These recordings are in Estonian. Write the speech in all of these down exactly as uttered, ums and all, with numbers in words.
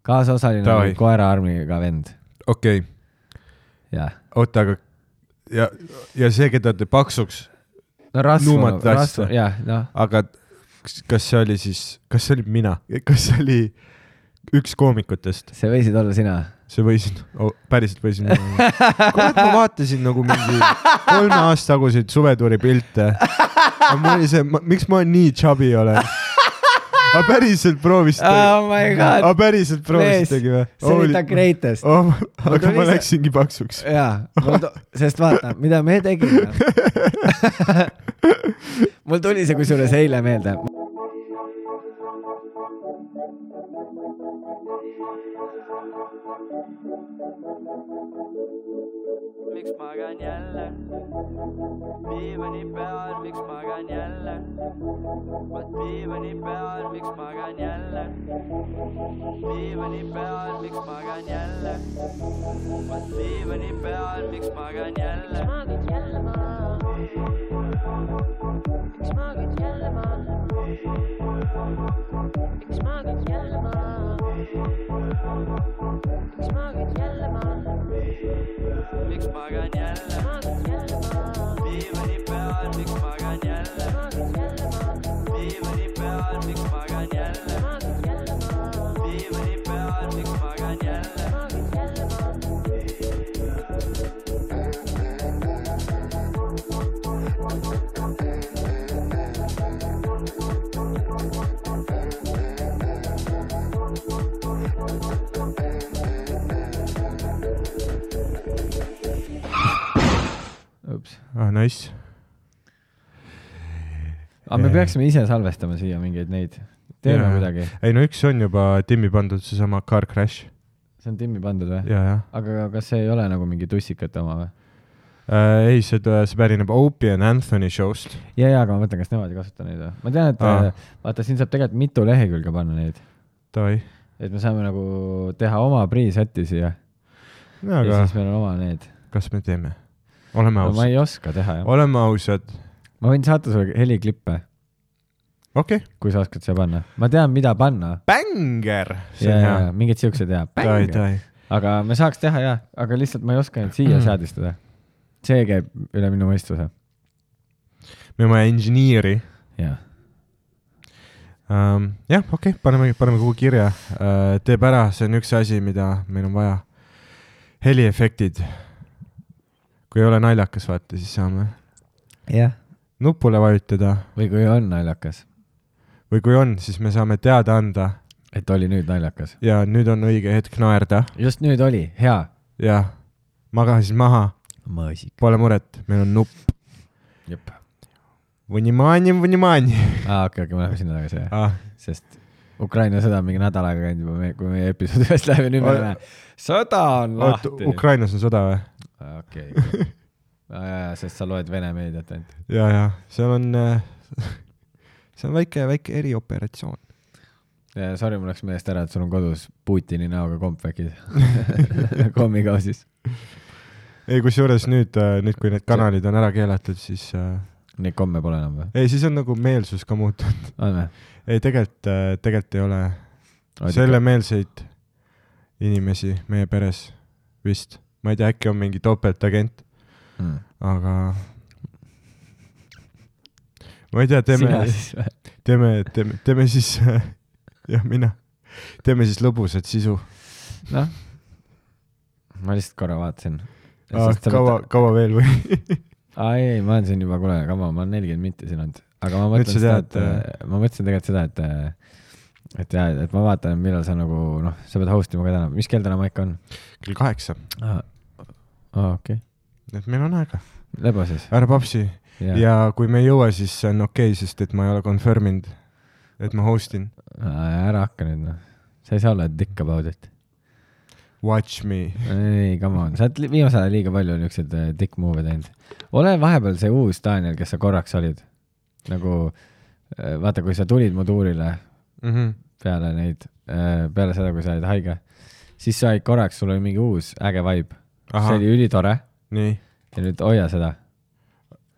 kaasosaline oli koera armiga vend. Okei okay. Oota, aga ja, ja see, keda te paksuks no rasvu, rasvu, jah no. Aga kas see oli siis, kas see oli mina, kas see oli üks koomikutest? See võisid olla sina. See võisin, oh, päriselt võisin. Kurat, ma vaatasin nagu mingi kolme aasta taguseid suvetuuri pilte. Ma oli see, ma, miks ma nii chubby olen? A päriselt proovisite. Oh my god. A päriselt proovisitegi või? See oli ta greatest. Oh, aga ma läksingi paksuks. Jaa, sest vaata, mida me tegime. Mul tuli see kusjuures eile meelde. Miks magan jälle? Diivani peal, miks magan jälle? Vaat diivani peal, miks magan jälle? Diivani peal, miks magan jälle? Vaat diivani peal, miks magan jälle? Miks magad jälle ma? Miks magad jälle ma? Miks magad jälle ma? Miks magad jälle ma? Miks magan jälle? Diivani peal, miks magan jälle? Diivani peal, miks magan jälle? Diivani peal, miks magan jälle? Ups. Ah, nice. Aga me peaksime ise salvestama siia mingeid neid. Teeme midagi. Ei, no üks on juba Timmi pandud see sama Car Crash. See on Timmi pandud või? Ja, ja. Aga kas see ei ole nagu mingi tussikate oma või? Äh, ei, see, see pärineb Opie and Anthony showst. Ja, ja, aga ma mõtlen, kas nemad ei kasuta neid või? Ma tean, et ah. vaata, siin saab tegelikult mitu lehekülge panna neid. Tavai. Et me saame nagu teha oma pre-seti siia. No, aga ja siis meil on oma need. Kas me teeme? Oleme ausad. No, ma ei oska teha, jah. Oleme ausad. Ma võin saata sulle heliklippe. Okei. Okay. Kui sa oskad siia panna. Ma tean, mida panna. Banger! Ja, ja, mingid siuksed ja. Tai, tai. Aga me saaks teha, jah. Aga lihtsalt ma ei oska nüüd siia mm. seadistada. See käib üle minu mõistuse. Me oma engineeri. Jah. Um, jah, okei. Okay. Paneme, paneme kuhu kirja. Uh, teeb ära. See on üks asi, mida meil on vaja. Heliefektid. Kui ei ole naljakas, vaata, siis saame jah. Nupule vajutada. Või kui on naljakas. Või kui on, siis me saame teada anda. Et oli nüüd naljakas. Ja nüüd on õige hetk naerda. Just nüüd oli, hea. Ja, maga siis maha. Mõõsik. Pole muret, meil on nupp. Jep. Vunimani, vunimani. Aa, okei, okei, ma lähen sinna tagasi. Ah. Sest Ukraina sõda on mingi nädal aega käinud juba, kui meie episoodi üles läheb ja nüüd me näeme. Sõda on lahti. Oot, Ukrainas on sõda või? Okei. Okay. Ja, ja, sest sa loed Vene meediat ainult. Ja, ja. See on, see on väike, väike erioperatsioon. Ja, sorry, mul läks meelest ära, et sul on kodus Putini näoga kompvekid. Kommikausis. Ei, kus juures nüüd, nüüd, kui need kanalid on ära keelatud, siis... Neid komme pole enam või? Ei, siis on nagu meelsus ka muutunud. On või? Ei, tegelikult, tegelikult ei ole selle meelseid inimesi meie peres vist. Ma ei tea, äkki on mingi topeltagent, mm. aga ma ei tea, teeme, teeme, teeme, teeme siis, jah, mina, teeme siis lõbusat sisu. Noh, ma lihtsalt korra vaatasin. Ah, kaua, võtta... kaua veel või? Aa, ei, ma olen siin juba, kuule, kama, ma olen nelikümmend minti siin olnud. Aga ma mõtlen seda, et, et ma mõtlesin tegelikult seda, et, et, jah, et ma vaatan, millal sa nagu, noh, sa pead hostima ka täna. Mis kell täna maika on? Kell kaheksa. Aa, aa okei. Okay. Et meil on aega. Lebo siis. Ära papsi. Ja. ja kui me ei jõua, siis see on okei, okay, sest et ma ei ole confirminud, et ma hostin. Ära hakka nüüd, noh. Sa ei saa olla dick about it. Watch me. Ei, come on. Sa oled viimase ajal liiga palju niisugused dick move teinud. Ole vahepeal see uus Daniel, kes sa korraks olid. Nagu, vaata, kui sa tulid mu tuurile mm-hmm. peale neid, peale seda, kui sa olid haige, siis sa olid korraks, sul oli mingi uus äge vibe. Aha. See oli ülitore. Nii. Ja nüüd hoia seda.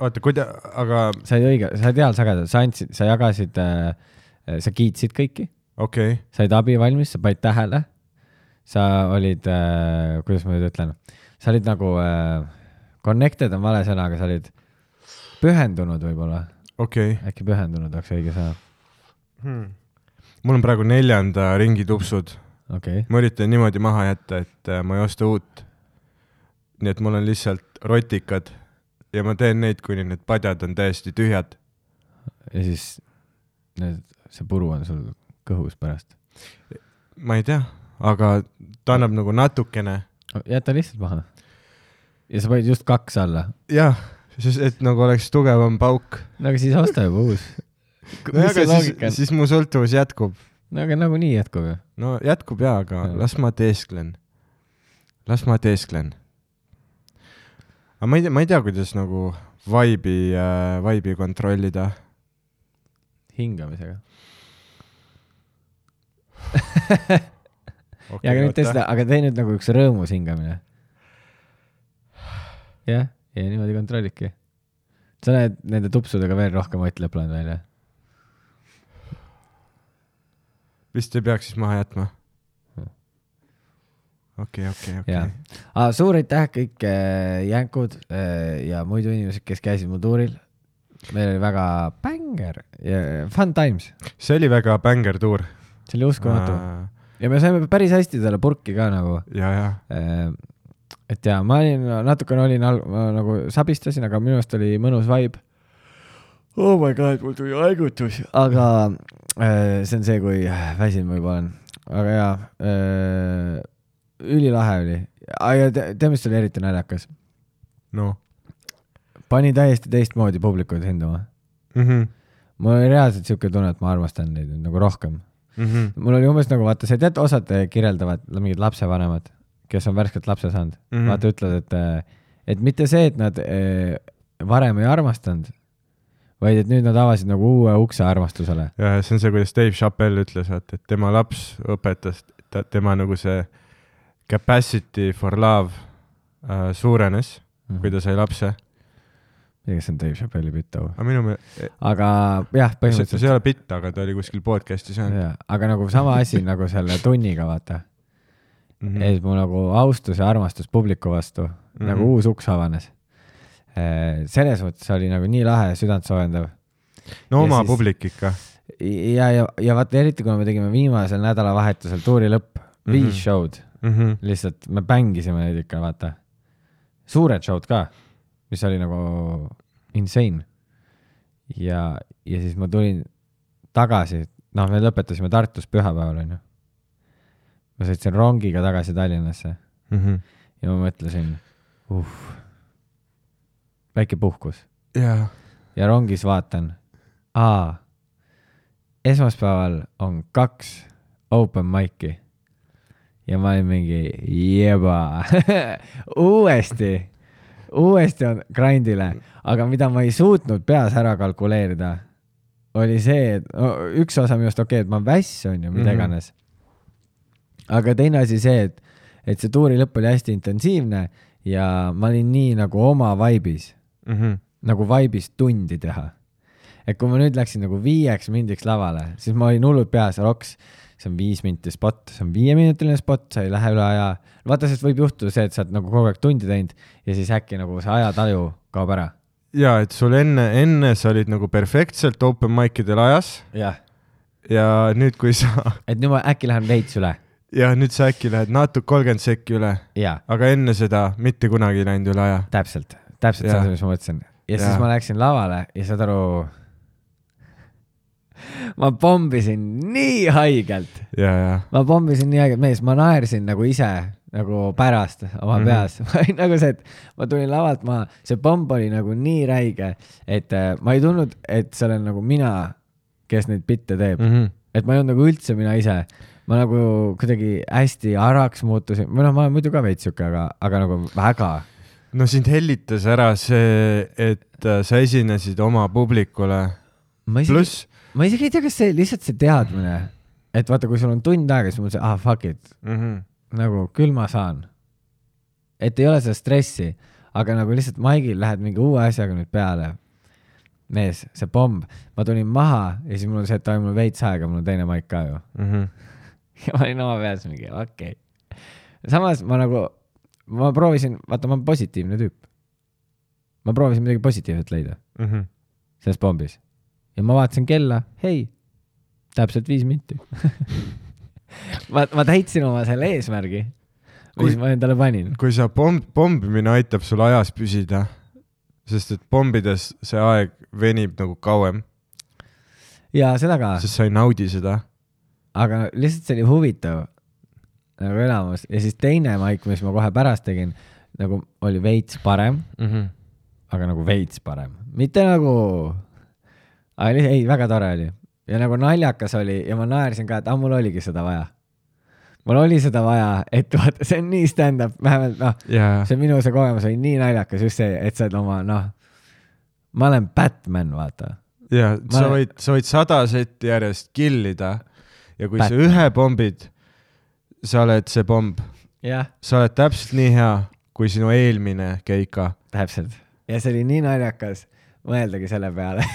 Oota, kuida, aga... Sa olid õige, sa olid heal sagedad, sa andsid, sa jagasid, sa kiitsid kõiki. Okei. Okay. Sa olid abi valmis, sa panid tähele. sa olid äh,, kuidas ma nüüd ütlen, sa olid nagu äh, connected on vale sõna, aga sa olid pühendunud võib-olla. okei okay. Äkki pühendunud oleks õige sõna hmm. Mul on praegu neljanda ringi tupsud okay. Ma üritan niimoodi maha jätta, et ma ei osta uut, nii et mul on lihtsalt rotikad ja ma teen neid, kuni need padjad on täiesti tühjad ja siis need, see puru on sul kõhus pärast. Ma ei tea, aga ta annab nagu natukene. Jäta lihtsalt maha ja sa panid just kaks alla. Jah, sest et nagu oleks tugevam pauk. No aga siis osta juba uus. No aga siis, siis mu sõltuvus jätkub. No aga nagu nii jätkub. No jätkub jaa, aga ja. las ma teesklen. Las ma teesklen. Aga ma ei tea, ma ei tea kuidas nagu vaibi, äh, vaibi kontrollida. Hingamisega. Okay, ja aga nüüd tee seda, aga tee nüüd nagu üks rõõmus hingamine. Jah, ja niimoodi kontrollidki. Sa näed nende tupsudega veel rohkem Ott Lepland välja. Vist ei peaks siis maha jätma. Okei, okei, okei. Suur aitäh kõik jänkud ja muidu inimesed, kes käisid mu tuuril. Meil oli väga banger ja fun times. See oli väga banger tuur. See oli uskumatu. Äh... Ja me saime päris hästi talle purki ka nagu. Ja, ja. Et ja, ma olin, natukene olin, ma nagu sabistasin, aga minu arust oli mõnus vibe. Oh my god, mul tuli haigutus. Aga äh, see on see, kui väsin ma juba olen. Aga jaa, äh, ülilahe oli. Ja te, te mis oli eriti naljakas? No. Pani täiesti teistmoodi publikud hindama. Mhm. Mul oli reaalselt siuke tunne, et ma armastan neid nagu rohkem. Mm-hmm. Mul oli umbes nagu, vaata, see tead, osad kirjeldavad mingid lapsevanemad, kes on värskelt lapse saanud. Mm-hmm. Vaata, ütled, et, et mitte see, et nad varem ei armastanud, vaid et nüüd nad avasid nagu uue ukse armastusele. Ja see on see, kuidas Dave Chappelle ütles, et tema laps õpetas, tema nagu see capacity for love äh, suurenes, mm-hmm. kui ta sai lapse. Kes on Dave Chappelle'i bitt, aga minu me... aga jah, põhimõtteliselt see ei ole bitt, aga ta oli kuskil podcasti seal. Aga nagu sama asi nagu selle tunniga, vaata. Mm-hmm. Et mu nagu austus ja armastus publiku vastu, mm-hmm. nagu uus uks avanes. Selles mõttes oli nagu nii lahe ja südant soojendav. No ja oma siis, publik ikka. Ja, ja, ja vaata eriti, kui me tegime viimasel nädalavahetusel tuuri lõpp, mm-hmm. viis show'd, mm-hmm. lihtsalt me bängisime neid ikka, vaata. Suured show'd ka. Mis oli nagu insane. Ja, ja siis ma tulin tagasi, noh, me lõpetasime Tartus pühapäeval, on ju. Ma sõitsin rongiga tagasi Tallinnasse. Mm-hmm. Ja ma mõtlesin, uff, väike puhkus. Yeah. Ja rongis vaatan, aa, esmaspäeval on kaks open mic'i. Ja ma olin mingi, jeba, uuesti. Uuesti on grindile, aga mida ma ei suutnud peas ära kalkuleerida, oli see, et no, üks osa minust okei, okay, et ma väss on ju, mida iganes. Aga teine asi see, et, et see tuuri lõpp oli hästi intensiivne ja ma olin nii nagu oma vaibis, mm-hmm. nagu vaibis tundi teha. Et kui ma nüüd läksin nagu viieks mindiks lavale, siis ma olin hullud peas, roks, see on viis minti spot, see on viieminutiline spot, sa ei lähe üle aja. Vaata, sest võib juhtuda see, et sa oled nagu kogu aeg tundi teinud ja siis äkki nagu see ajataju kaob ära. Ja, et sul enne, enne sa olid nagu perfektselt open mic'idel ajas. Ja. Ja nüüd kui sa... Et nüüd ma äkki lähen veits üle. Ja nüüd sa äkki lähed natuke kolmkümmend sekki üle. Ja. Aga enne seda mitte kunagi läinud üle aja. Täpselt, täpselt see, mis ma mõtlesin. Ja, ja siis ma läksin lavale ja saad aru... Ma pombisin nii haigelt. Ja, ja. Ma pombisin nii haigelt. Mees, ma naersin nagu ise nagu pärast oma mm-hmm. peas. Nagu see, et ma tulin lavalt maha. See pomb oli nagu nii räige, et äh, ma ei tulnud, et see olen nagu mina, kes neid bitte teeb. Mm-hmm. Et ma ei olnud nagu üldse mina ise. Ma nagu kuidagi hästi araks muutusin. Ma, no, ma olen muidu ka veitsuke, aga, aga nagu väga. No sind hellitas ära see, et äh, sa esinesid oma publikule. Pluss ma isegi ei tea, kas see lihtsalt see teadmine, et vaata, kui sul on tund aega, siis mul see, ah, fuck it. Mm-hmm. Nagu, küll ma saan. Et ei ole seda stressi, aga nagu lihtsalt maigil lähed mingi uue asjaga nüüd peale. Mees, see pomb. Ma tulin maha ja siis mul on see, et mul veits aega, mul on teine maik ka ju. Mm-hmm. Ja ma olin oma peas mingi, okei. Okay. samas ma nagu, ma proovisin, vaata ma olen positiivne tüüp. Ma proovisin midagi positiivset leida mm -hmm. selles pombis. Ja ma vaatasin kella, hei, täpselt viis minti. ma, ma täitsin oma selle eesmärgi, mis kui, ma endale panin. Kui sa pomb, pombimine aitab sul ajas püsida, sest et pombides see aeg venib nagu kauem. Ja seda ka. Sest sa ei naudi seda. Aga lihtsalt see oli huvitav nagu elamus. Ja siis teine maik, mis ma kohe pärast tegin, nagu oli veits parem, mm -hmm. aga nagu veits parem. Mitte nagu, aga ei, väga tore oli. Ja nagu naljakas oli ja ma naersin ka, et ah, mul oligi seda vaja. Mul oli seda vaja, et vaata, see on nii stand-up, vähemalt noh, yeah. see minu see kogemus oli nii naljakas just see, et sa oled oma, noh, ma olen Batman, vaata. Ja, ma sa, võid, sa võid sada setti järjest killida ja kui Batman. Sa ühe pombid, sa oled see pomb. Yeah. Sa oled täpselt nii hea, kui sinu eelmine keika. Täpselt. Ja see oli nii naljakas mõeldagi selle peale,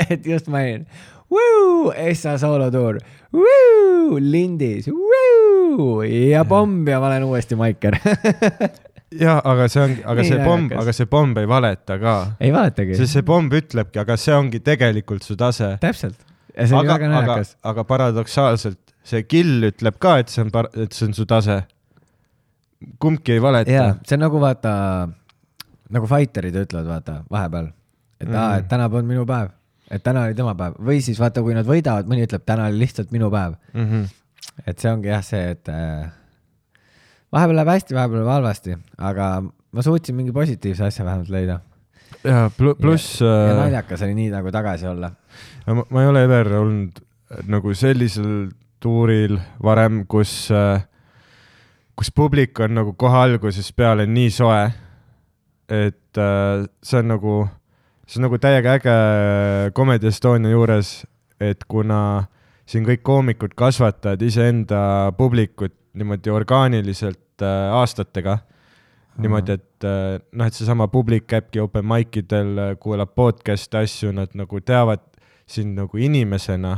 et just ma olin Woo! Essa soolotuur. Woo! Lindis. Woo! Ja pomb ja ma olen uuesti Maiker. ja, aga see on, aga see pomb, aga see pomb ei valeta ka. Ei valetagi. See, see pomb ütlebki, aga see ongi tegelikult su tase. Täpselt. Ja see oli aga, väga naljakas. Aga, aga paradoksaalselt see kill ütleb ka, et see on, par, et see on su tase. Kumbki ei valeta. Ja, see on nagu vaata, nagu fighterid ütlevad, vaata, vahepeal. Et, mm. aa, et täna polnud minu päev. Et täna oli tema päev. Või siis vaata, kui nad võidavad, mõni ütleb, täna oli lihtsalt minu päev. Mm -hmm. Et see ongi jah see, et äh, vahepeal läheb hästi, vahepeal läheb halvasti, aga ma suutsin mingi positiivse asja vähemalt leida. Ja pluss... Ja, ja naljakas oli nii nagu tagasi olla. Ma, ma ei ole ever olnud nagu sellisel tuuril varem, kus, kus publik on nagu kohe algusest peale nii soe, et äh, see on nagu... See on nagu täiega äge Comedy Estonia juures, et kuna siin kõik koomikud kasvatavad iseenda publikut niimoodi orgaaniliselt äh, aastatega, mm-hmm. niimoodi, et äh, noh, et seesama publik käibki open mic'idel, kuulab podcast asju, nad nagu teavad sind nagu inimesena,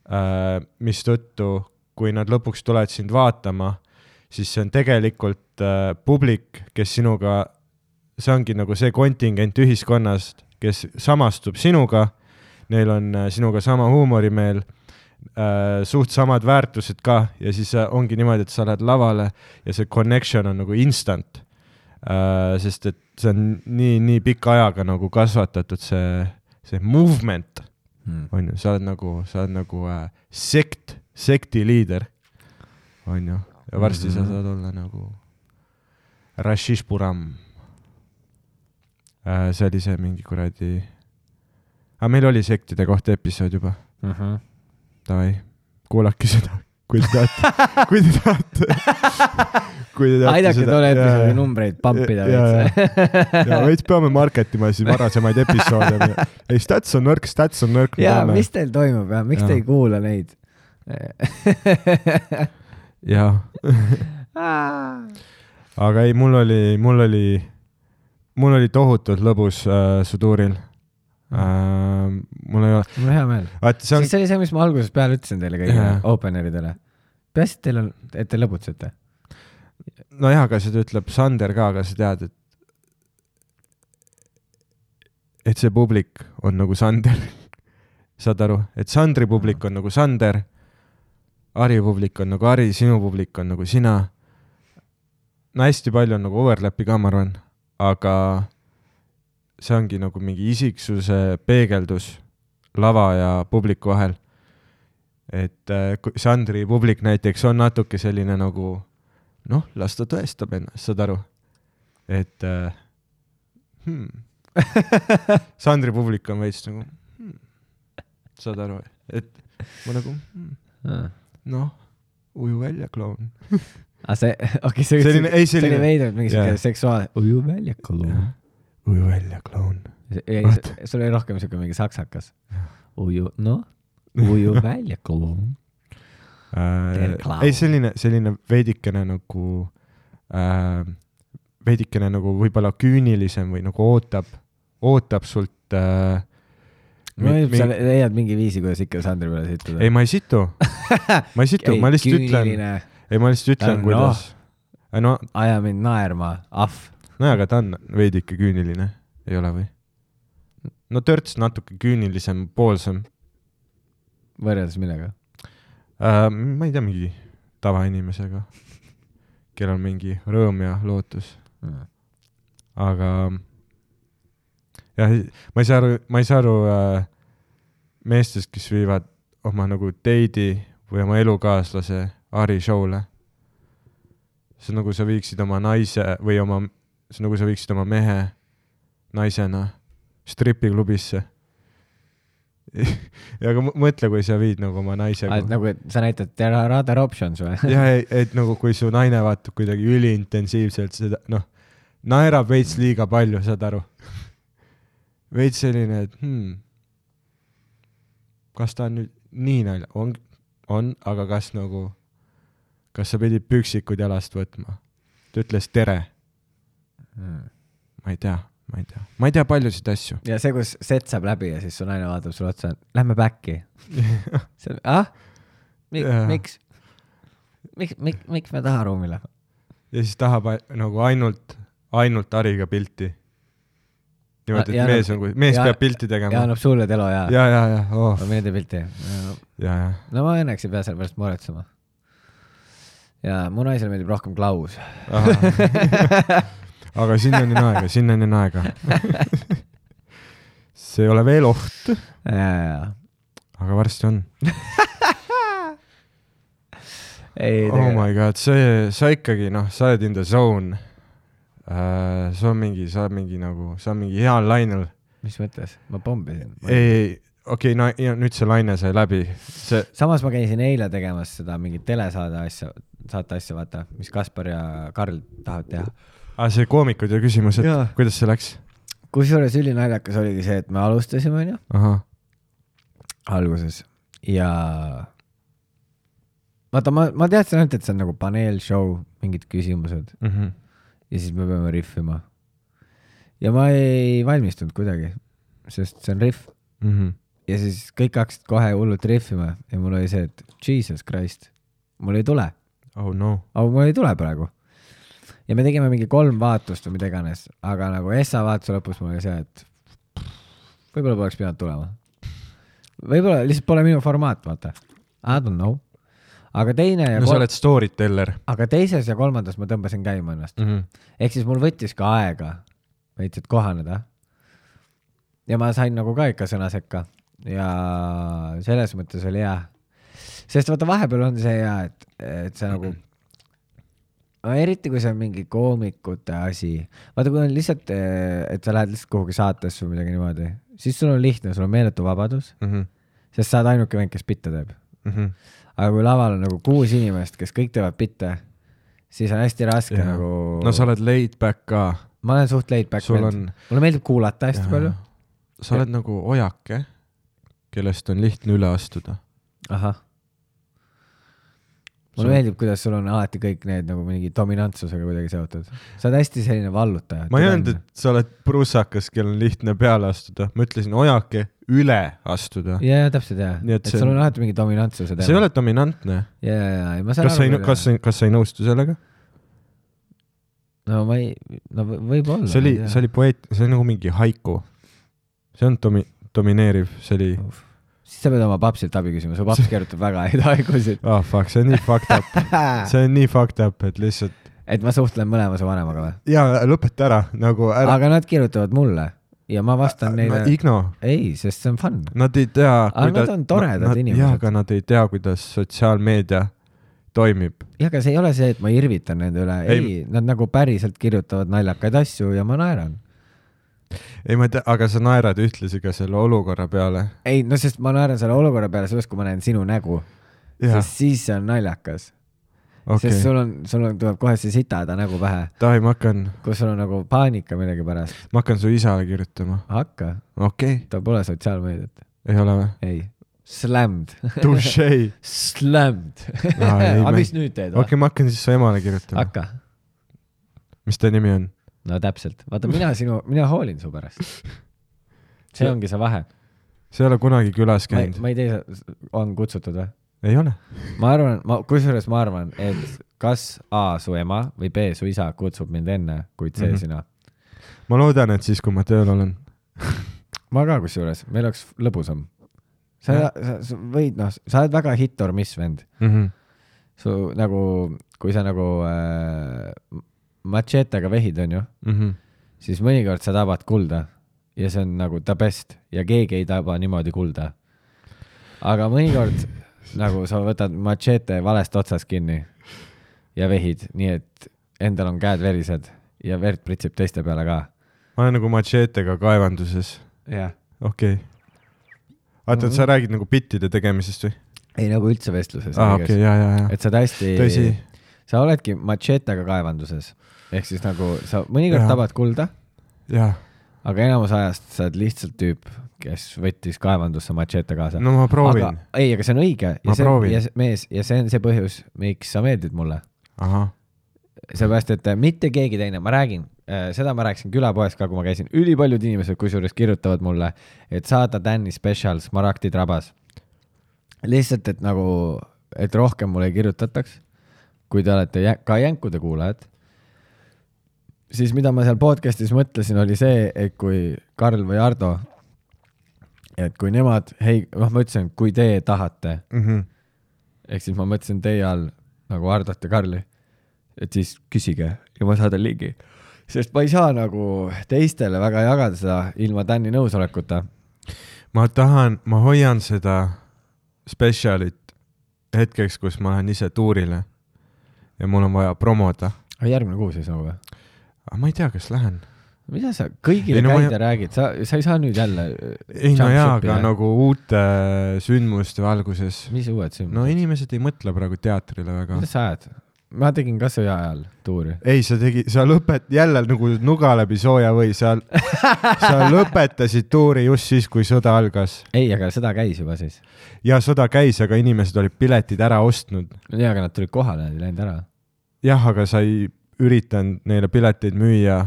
äh, mis tõttu, kui nad lõpuks tulevad sind vaatama, siis see on tegelikult äh, publik, kes sinuga, see ongi nagu see kontingent ühiskonnast, kes samastub sinuga, neil on sinuga sama huumorimeel, äh, suht samad väärtused ka ja siis ongi niimoodi, et sa lähed lavale ja see connection on nagu instant, äh, sest et see on nii, nii pika ajaga nagu kasvatatud see, see movement, hmm. on ju, sa oled nagu, sa oled nagu äh, sekt, sekti liider, on ju, ja varsti mm-hmm. sa saad olla nagu Rashish Puram. Äh, see oli see mingi kuradi... Aga meil oli sektide kohta episood juba. Uh-huh. Davai, kuulake seda, kui te tahate. kui te tahate. kui te tahate Aidake tolle episoodi numbreid pampida. Ja, ja, ja. ja veits peame marketima siis varasemaid episoode. Ei, stats on nõrk, stats on nõrk. Ja, mis teil toimub? Ja? Miks ja. te ei kuula neid? ja. Aga ei, mul oli... Mul oli Mul oli tohutult lõbus äh, su tuuril. Äh, mul ei ole... Mul on hea meel. Vaat, see on... Siis see oli see, mis ma alguses peale ütlesin teile kõigile yeah. openeridele. Peast, et teil on, et te lõbutsete. No jah, aga seda ütleb Sander ka, aga sa tead, et et see publik on nagu Sander. Saad aru? Et Sandri publik on nagu Sander, Ari publik on nagu Ari, sinu publik on nagu sina. No hästi palju on nagu overlapi ka, ma arvan. Aga see ongi nagu mingi isiksuse peegeldus lava ja publiku vahel. Et äh, Sandri publik näiteks on natuke selline nagu, noh, las ta tõestab ennast, saad aru. Et äh, hmm. Sandri publik on veits nagu, hmm. saad aru, et ma nagu, hmm. noh, uju välja, kloun. Ah, see, okay, see, selline, ei, selline, selline veidrud mingi yeah. seksuaal. Uju välja, kloun. Uju välja, kloun. Sul oli rohkem siuke mingi saksakas. Uju, no, uju välja, kloun. Äh, ei, selline, selline veidikene nagu, äh, veidikene nagu võib-olla küünilisem või nagu ootab, ootab sult äh, no, mi- sa leiad mingi viisi, kuidas ikka Sandri peale situda. Ei, ma ei situ. Ma ei situ, ei, ma lihtsalt küünline. Ütlen. Ei, ma lihtsalt ütlen, no, kuidas... no, aja mind naerma, ahv. no aga ta on veidi ikka küüniline, ei ole või? No törts natuke küünilisem, poolsem. Võrjeldes millega? Äh, ma ei tea, mingi tavainimesega, kellel on mingi rõõm ja lootus. Mm. Aga jah, ma ei saa aru, ma ei saa aru äh, meestest, kes viivad oma nagu date'i või oma elukaaslase Ari show'le. See on nagu sa viiksid oma naise või oma, see on nagu sa viiksid oma mehe naisena stripiklubisse. ja aga mõtle, kui sa viid nagu oma naisega. Ah, nagu, et sa näitad there are other options või? ja, et, et nagu kui su naine vaatab kuidagi üliintensiivselt seda, noh, naerab veits liiga palju, saad aru? Veits selline, et hmm, kas ta on nüüd nii nalja? On, on, aga kas nagu kas sa pidid püksikud jalast võtma? Ta ütles tere. Hmm. Ma ei tea, ma ei tea. Ma ei tea paljusid asju. Ja see, kus set saab läbi ja siis su naine vaatab sulle otsa, lähme backi. see, ah? Mik, miks? Miks, miks, miks me taha ruumile? Ja siis tahab nagu ainult, ainult Ariga pilti. Niimoodi, et mees, on, mees ja, peab pilti tegema. Ja annab sulle telo, jaa. Ja, ja, ja. Oh. Ma meelde pilti. Ja, ja. No ma õnneks ei pea selle pärast muretsema. Ja mu naisel meeldib rohkem Klaus. aga sinnani aega, sinnani aega. see ei ole veel oht. Ja, ja. Aga varsti on. ei, oh my god, see, sa ikkagi, noh, sa oled in the zone. Uh, sa on mingi, sa on mingi nagu, sa on mingi heal lainel. Mis mõttes? Ma pombisin. Ei, okei, okay, no ja nüüd see laine sai läbi. See... Samas ma käisin eile tegemas seda mingit telesaade asja, saate asja, vaata, mis Kaspar ja Karl tahavad teha. Ah, see koomikud ja küsimus, et ja. Kuidas see läks? Kusjuures ülinaljakas oligi see, et me alustasime, on ju? Aha. Alguses. Ja vaata, ma, ma teadsin ainult, et see on nagu paneel show, mingid küsimused. Mm-hmm. Ja siis me peame riffima. Ja ma ei valmistunud kuidagi, sest see on riff. Mm-hmm. Ja siis kõik hakkasid kohe hullult riffima ja mul oli see, et Jesus Christ, mul ei tule. Oh no. Aga mul ei tule praegu. Ja me tegime mingi kolm vaatust või mida iganes, aga nagu Essa vaatuse lõpus mul oli see, et võib-olla poleks pidanud tulema. Võib-olla lihtsalt pole minu formaat, vaata. I don't know. Aga teine ja no kol... sa oled storyteller. Aga teises ja kolmandas ma tõmbasin käima ennast. Mm-hmm. Ehk siis mul võttis ka aega veits, et kohaneda. Ja ma sain nagu ka ikka sõna sekka. Ja selles mõttes oli hea. Sest vaata vahepeal on see hea, et, et see nagu no, eriti kui see on mingi koomikute asi. Vaata, kui on lihtsalt, et sa lähed lihtsalt kuhugi saatesse või midagi niimoodi, siis sul on lihtne, sul on meeletu vabadus, mm-hmm. sest sa oled ainuke vend, kes pitte teeb. Mm-hmm. Aga kui laval on nagu kuus inimest, kes kõik teevad pitte, siis on hästi raske ja. Nagu... No sa oled laid back ka. Ma olen suht laid back vend. On... Mulle meeldib kuulata hästi ja. Palju. Sa oled ja. Nagu ojake, kellest on lihtne üle astuda. Ahah. Mulle sul... meeldib, kuidas sul on alati kõik need nagu mingi dominantsusega kuidagi seotud. Sa oled hästi selline vallutaja. Ma ei öelnud, et sa oled prusakas, kel on lihtne peale astuda. Ma ütlesin ojake üle astuda. Ja, ja täpselt, jah. Et, et sul on alati mingi dominantsuse teema. See ei ole dominantne. Ja, ja, ja. Ma kas, sa ei, kas, kas sa ei nõustu sellega? No ma ei, no võib olla. See oli, see oli poeet, see oli nagu mingi haiku. See on domi, domineeriv, see oli... Uf. Siis sa pead oma papsilt abi küsima, su paps keerutab väga häid haigusid. Oh fuck, see on nii fucked up. See on nii fucked up, et lihtsalt... Et ma suhtlen mõlema su vanemaga või? Jaa, lõpeta ära, nagu ära. Aga nad kirjutavad mulle ja ma vastan neile... No, igno. Ei, sest see on fun. Nad ei tea... Aga kuida... nad on toredad nad, inimesed. Jaa, aga nad ei tea, kuidas sotsiaalmeedia toimib. Jah, aga see ei ole see, et ma irvitan nende üle. Ei, ei, nad nagu päriselt kirjutavad naljakaid asju ja ma naeran. Ei, ma tea, aga sa naerad ühtlasi ka selle olukorra peale. Ei, no sest ma naeran selle olukorra peale sellest, kui ma näen sinu nägu. Ja. Sest siis see on naljakas. Okay. Sest sul on, sul on, tuleb kohe see sitada nägu pähe. Tahi, ma hakkan... Kus sul on nagu paanika millegi pärast. Ma hakkan su isale kirjutama. Hakka. Okei. Okay. Ta pole sotsiaalmeediat. Ei ole või? Ei. Slammed. Touché. Slammed. Aga mis nüüd teed? Okei, okay, ma hakkan siis su emale kirjutama. Hakka. Mis ta nimi on? No täpselt. Vaata, mina sinu, mina hoolin su pärast. See ongi see vahe. See ei ole kunagi külas käinud. Ma, ma ei tea, on kutsutud või? Ei ole. Ma arvan, ma, kusjuures ma arvan, et kas A su ema või B su isa kutsub mind enne, kuid C mm -hmm. sina. ma loodan, et siis, kui ma tööl olen. ma ka kusjuures, meil oleks lõbusam. sa, sa, sa võid, noh, sa oled väga hit or miss vend mm. -hmm. su nagu, kui sa nagu äh, machetega vehid, on ju, mm -hmm. siis mõnikord sa tabad kulda ja see on nagu the best ja keegi ei taba niimoodi kulda. aga mõnikord nagu sa võtad machete valest otsast kinni ja vehid, nii et endal on käed verised ja verd pritsib teiste peale ka. ma olen nagu machetega kaevanduses. jah. okei okay.. vaata, et sa räägid nagu bittide tegemisest või? ei, nagu üldse vestluses. aa, okei, jaa, jaa, jaa. et sa hästi, tõsi. sa oledki machetega kaevanduses. ehk siis nagu sa mõnikord tabad kulda, jaa. aga enamus ajast sa oled lihtsalt tüüp, kes võttis kaevandusse machete kaasa. no ma proovin. ei, aga see on õige. ma see, proovin. Ja mees, ja see on see põhjus, miks sa meeldid mulle. ahah. Seepärast, et mitte keegi teine, ma räägin, seda ma rääkisin külapoes ka, kui ma käisin, ülipaljud inimesed kusjuures kirjutavad mulle, et saada Danny Special Smaragdid rabas. lihtsalt, et nagu, et rohkem mulle ei kirjutataks, kui te olete jä ka jänkude kuulajad, siis mida ma seal podcastis mõtlesin, oli see, et kui Karl või Ardo, et kui nemad, hei, noh, ma ütlesin, kui te tahate, mm -hmm. ehk siis ma mõtlesin teie all nagu Ardot ja Karli, et siis küsige ja ma saadan lingi. Sest ma ei saa nagu teistele väga jagada seda ilma Danny nõusolekuta. ma tahan, ma hoian seda spetsialit hetkeks, kus ma lähen ise tuurile ja mul on vaja promoda. järgmine kuu siis nagu või? ma ei tea, kas lähen. mida sa kõigile ei, no, käid ja ma... räägid? Sa, sa ei saa nüüd jälle ei no jaa, aga nagu uute sündmuste valguses. mis uued sündmused? no inimesed ei mõtle praegu teatrile väga. mida sa ajad? ma tegin ka sõja ajal tuuri. ei, sa tegi, sa lõpet, jälle nagu nuga läbi sooja või sa, sa lõpetasid tuuri just siis, kui sõda algas. ei, aga sõda käis juba siis. ja sõda käis, aga inimesed olid piletid ära ostnud. ja, aga nad tulid kohale, nad ei läinud ära. jah, aga sa ei üritanud neile pileteid müüa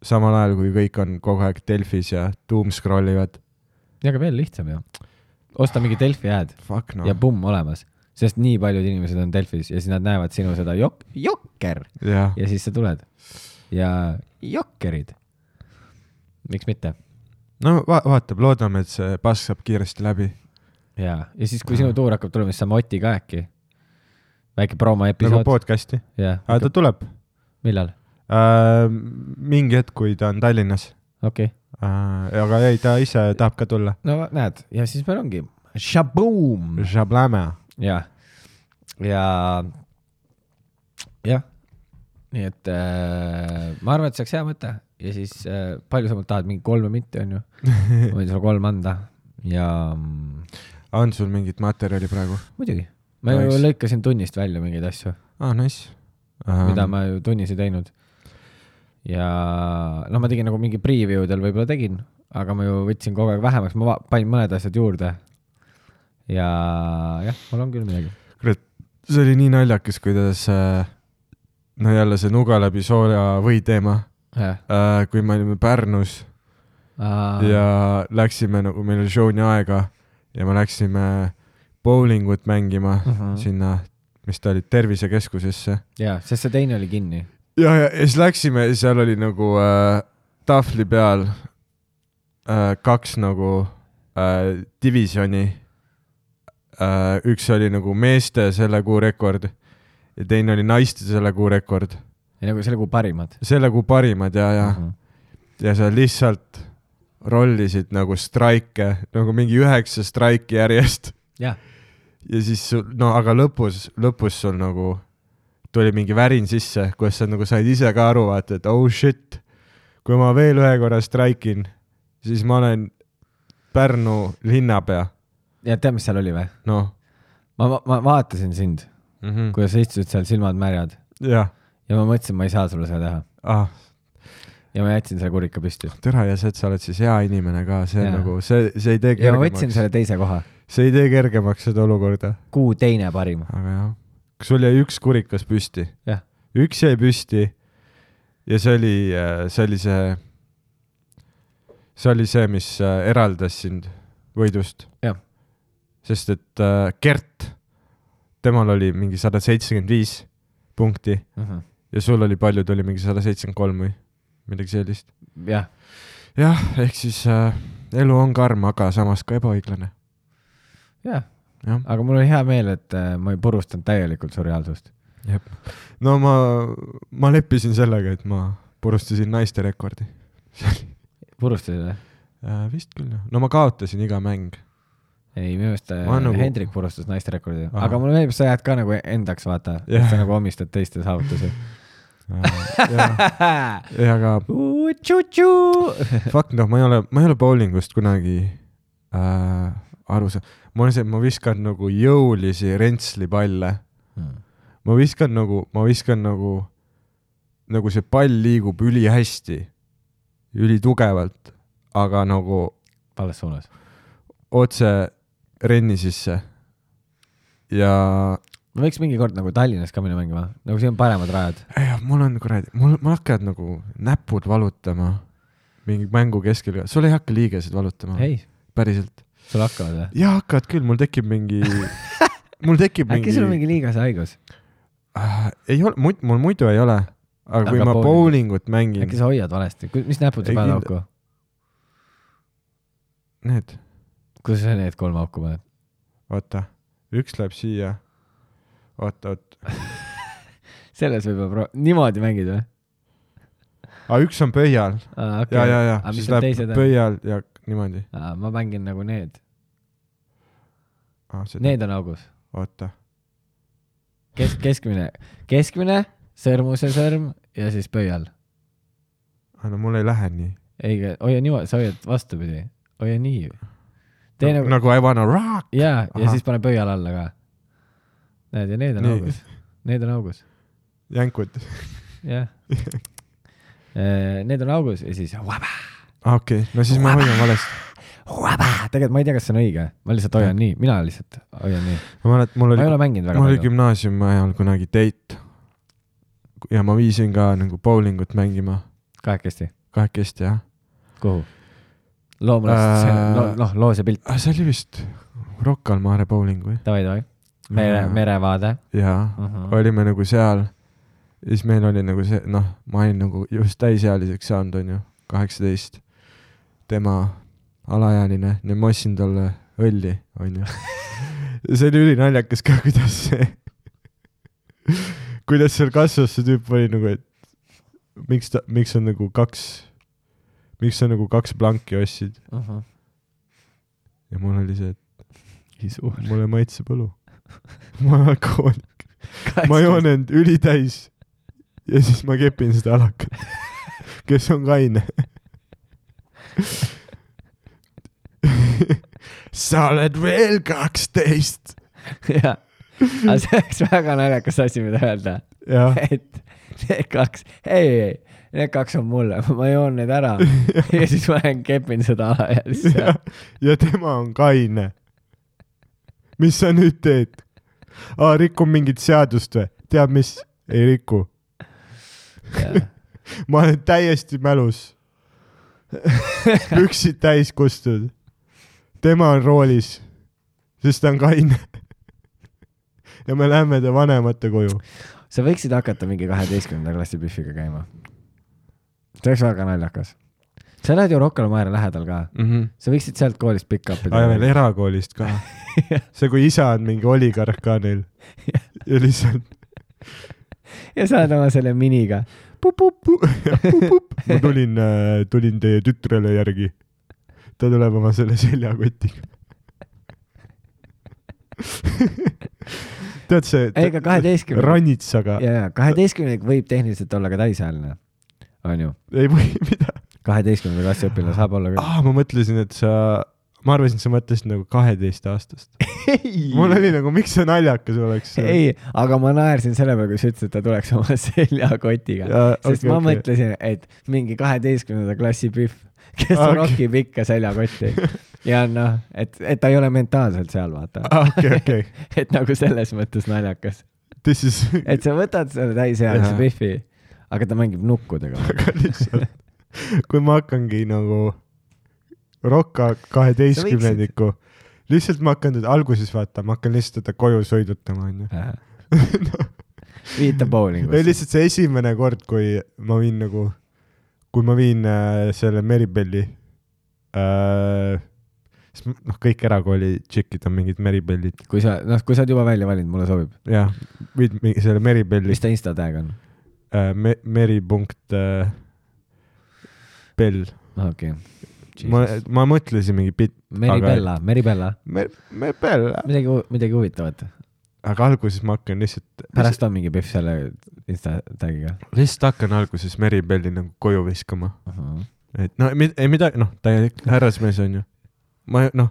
samal ajal, kui kõik on kogu aeg Delfis ja doom scrollivad. ja, aga veel lihtsam ju. osta mingi Delfi ad no. ja pumm olemas. Sest nii paljud inimesed on Delfis ja siis nad näevad sinu seda jok jokker ja. ja siis sa tuled. Ja jokkerid. Miks mitte? No va vaatab, loodame, et see pask saab kiiresti läbi. Ja, ja siis kui sinu tuur hakkab tulema, siis saame Oti ka äkki. Väike promo episood. Nagu podcasti? Ja. Aga ta tuleb. Millal? Äh, mingi hetk, kui ta on Tallinnas. Okei. Okay. Äh, aga ei, ta ise tahab ka tulla. No näed, ja siis meil ongi Shaboom! Shablame. Ja, ja, jah, nii et äh, ma arvan, et see oleks hea mõte ja siis äh, palju sa mult tahad, mingi kolme minti on ju, ma võin sulle kolm anda ja on sul mingit materjali praegu? Muidugi, ma nice. ju lõikasin tunnist välja mingeid asju, ah, nice. um, mida ma ju tunnis ei teinud ja no ma tegin nagu mingi previewdel võib-olla tegin, aga ma ju võtsin kogu aeg vähemaks, ma panin mõned asjad juurde ja jah, mul on küll midagi. Kuule, see oli nii naljakas, kuidas no jälle see nuga läbi sooja või teema, äh, kui me olime Pärnus Aa. ja läksime, nagu meil oli showni aega ja me läksime bowlingut mängima uh -huh. sinna, mis ta oli, tervisekeskusesse. Jaa, sest see teine oli kinni. Ja, ja, ja siis läksime ja seal oli nagu äh, tahvli peal äh, kaks nagu äh, divisjoni. Uh, üks oli nagu meeste selle kuu rekord ja teine oli naiste selle kuu rekord. Ja nagu selle kuu parimad. Selle kuu parimad ja, ja. Uh -huh. Ja sa lihtsalt rollisid nagu straike, nagu mingi üheksa straiki järjest. Ja. Ja siis, no aga lõpus, lõpus sul nagu tuli mingi värin sisse, kus sa nagu said ise ka aru vaata, et oh shit, kui ma veel ühe korra straikin, siis ma olen Pärnu linnapea. Ja tead, mis seal oli või? No. Ma, ma, ma vaatasin sind, mm -hmm. kui sa istusid seal silmad märjad. Ja. Ja ma mõtlesin, ma ei saa sulle seda teha. Ah. Ja ma jätsin selle kurika püsti. Tere, ja see, et sa oled siis hea inimene ka, see ja. Nagu, see, see ei tee kergemaks. Ja ma võtsin selle teise koha. See ei tee kergemaks seda olukorda. Kuu teine parim. Aga jah. Sul jäi üks kurikas püsti. Jah. Üks jäi püsti ja see oli, see oli see, see oli see, mis eraldas sind võidust. Jah. Sest et äh, Gert, temal oli mingi sada seitsekümmend viis, punkti uh -huh. ja sul oli palju, tuli mingi sada seitsekümmend kolm või midagi sellist. jah. jah, ehk siis äh, elu on karm, aga samas ka ebaõiglane. jah, aga mul oli hea meel, et äh, ma ei purustanud täielikult su reaalsust. Jep. No ma, ma leppisin sellega, et ma purustasin naiste rekordi. Purustasid või? Äh, vist küll, no ma kaotasin iga mäng. Ei, minu meelest nagu... Hendrik purustas naiste rekordi. Aha. Aga mulle meeldib, sa jääd ka nagu endaks, vaata. Yeah. Sa nagu omistad teiste saavutusi. ja aga fuck noh, ma ei ole, ma ei ole bowlingust kunagi äh, aru saa-. Ma olen see, ma viskan nagu jõulisi rentslipalle. Hmm. Ma viskan nagu, ma viskan nagu, nagu see pall liigub üli hästi, üli tugevalt, aga nagu vales suunas. Otse renni sisse. Ja ma võiks mingi kord nagu Tallinnas ka minna mängima, nagu siin on paremad rajad. Ja, mul on kuradi, mul, mul hakkad nagu näpud valutama mingi mängu keskel. Sul ei hakka liigesed valutama? Ei. Päriselt? Sul hakkavad või? Jaa, hakkavad küll, mul tekib mingi mul tekib mingi... Äkki sul on mingi liigase haigus? Uh, ei ole, muid, mul muidu ei ole. Aga, aga kui ma bowling. bowlingut mängin... Äkki sa hoiad valesti? Mis näpud sa paned auku? Need. Kus sa need kolm auku paned? Oota, üks läheb siia. Oota, oota. Selles võib pro... niimoodi mängid või? Aa, üks on pöial. Aa, okay. Ja, ja, ja. A, siis läheb pöial ja niimoodi. Aa, ma mängin nagu need. Aa, need on augus. Oota. Kes, keskmine, keskmine, sõrmuse sõrm ja siis pöial. Aa, no mul ei lähe nii. Ei, hoia niimoodi, sa hoiad vastupidi. Hoia nii. No, nagu... nagu I wanna rock. Jaa, ja siis pane pöial alla ka. Näed, ja need on nii. Augus. Need on augus. Jänkud. Jah. Need on augus ja siis vaba. Okei, okay. No siis vaba. Ma hoian valesti. Vaba. Tegelikult ma ei tea, kas see on õige. Ma lihtsalt hoian nii. Mina lihtsalt hoian nii. Ma, mälet, mul oli, ma ei ole mänginud väga palju. Mul oli gümnaasiumi ajal kunagi date. Ja ma viisin ka nagu bowlingut mängima. Kahekesti? Kahekesti, jah. Kuhu? Loomulikult, äh, no, noh, loos ja pilt. See oli vist Rocca al Mare bowling või? Tavai, tavai. Mere, merevaade. Jaa, uh-huh. Olime nagu seal. Ja siis meil oli nagu see, noh, ma olin nagu just täisealiseks saanud, on ju, kaheksateist. Tema alaealine, ja ma ostsin talle õlli, on ju. Ja see oli üli naljakas ka, kuidas see, kuidas seal kasvas see tüüp oli nagu, et miks ta, miks on nagu kaks, miks sa nagu kaks blanki ostsid. Uh-huh. Ja mul oli see, et mulle maitse põlu. Ma olen alkohoolik. Ma joon end ülitäis ja siis ma kepin seda alakat, kes on kaine. Sa oled veel kaksteist. Jah, aga see oleks väga naljakas asi, mida öelda. Et need kaks, ei, ei, need kaks on mulle, ma joon need ära ja, ja siis ma lähen kepin seda ala ja siis ja, ja tema on kaine. Mis sa nüüd teed? Aa, rikun mingit seadust või? Tead mis? Ei riku. Ma olen täiesti mälus. Püksid täis kustud. Tema on roolis, sest ta on kaine. Ja me lähme ta vanemate koju. Sa võiksid hakata mingi kaheteistkümnenda klassi pühviga käima. See oleks väga naljakas. Sa lähed ju Rocca al Mare lähedal ka. Mm-hmm. Sa võiksid sealt koolist pick-upida. Aa, veel erakoolist ka. See, kui isa on mingi oligarh ka neil. Ja lihtsalt. Ja saad oma selle miniga. Pup, pup, pup. Ja, pup, pup. Ma tulin, tulin teie tütrele järgi. Ta tuleb oma selle seljakotiga. Tead see Eiga kaheteistkümne ranitsaga. Ja, kaheteistkümne võib tehniliselt olla ka täisääline. On ju? Ei või, mida? kaheteistkümnenda klassi õpilane saab olla küll. Ah, ma mõtlesin, et sa, ma arvasin, et sa mõtlesid nagu kaheteist aastast. Mul oli nagu, miks see naljakas oleks? Ei, aga ma naersin selle peale, kui sa ütlesid, et ta tuleks oma seljakotiga. Ja, sest okay, ma okay. mõtlesin, et mingi kaheteistkümnenda klassi pühv, kes okay. rokib ikka seljakotti. Ja noh, et, et ta ei ole mentaalselt seal, vaata. Okay, okay. Et nagu selles mõttes naljakas. Is... et sa võtad selle täisealise pühvi, aga ta mängib nukkudega. Aga lihtsalt. Kui ma hakkangi nagu Rocca kaheteistkümnendiku, lihtsalt ma hakkan teda alguses vaata, ma hakkan lihtsalt teda koju sõidutama. No. viita bowlingusse. ei lihtsalt see esimene kord, kui ma viin nagu, kui ma viin äh, selle Meribelli äh,, noh, kõik erakooli tšikid on mingid Meribellid. Kui sa, noh, kui sa oled juba välja valinud, mulle sobib. jah, viid selle Meribelli. Mis ta Insta tag on? Äh, me, meri punkt äh, bell. Okei. Okay. Ma, ma mõtlesin mingi bit. Meribella, aga... Meribella. Me, Meribella. Midagi, midagi huvitavat. Aga alguses ma hakkan lihtsalt... Pärast on mingi pihv selle Insta tagiga. Lihtsalt hakkan alguses Meribelli nagu koju viskama. Uh-huh. Et no ei midagi, noh, täielik härrasmees on ju. Ma, noh,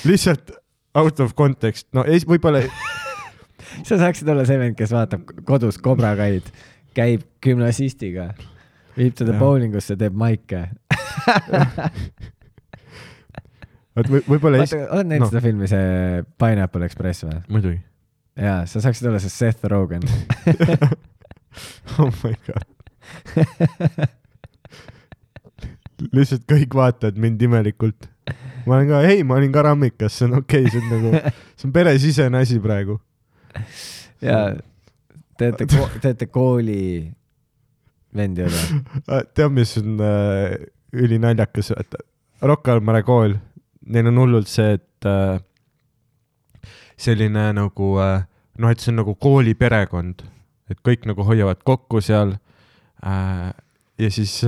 lihtsalt out of context. No ei, võib-olla... Sa saaksid olla see vend, kes vaatab kodus kobrakaid, käib gümnasistiga, viib teda ja. Bowlingusse, teeb maike. Või, võib-olla... Vaata, oled näinud no. seda filmi, see Pineapple Express või? Muidugi. Jaa, sa saaksid olla see Seth Rogen. Oh my god. Lihtsalt kõik vaatavad mind imelikult. Ma olen ka, hei, ma olin ka rammikas, see on okei, okay, see on nagu, see on peresisene asi praegu. Jaa, teete, ko- teete kooli vendi üle. Tead, mis on äh, ülinaljakas, et Rocca al Mare kool, neil on hullult see, et äh, selline nagu, äh, noh, et see on nagu kooli perekond, et kõik nagu hoiavad kokku seal äh, ja siis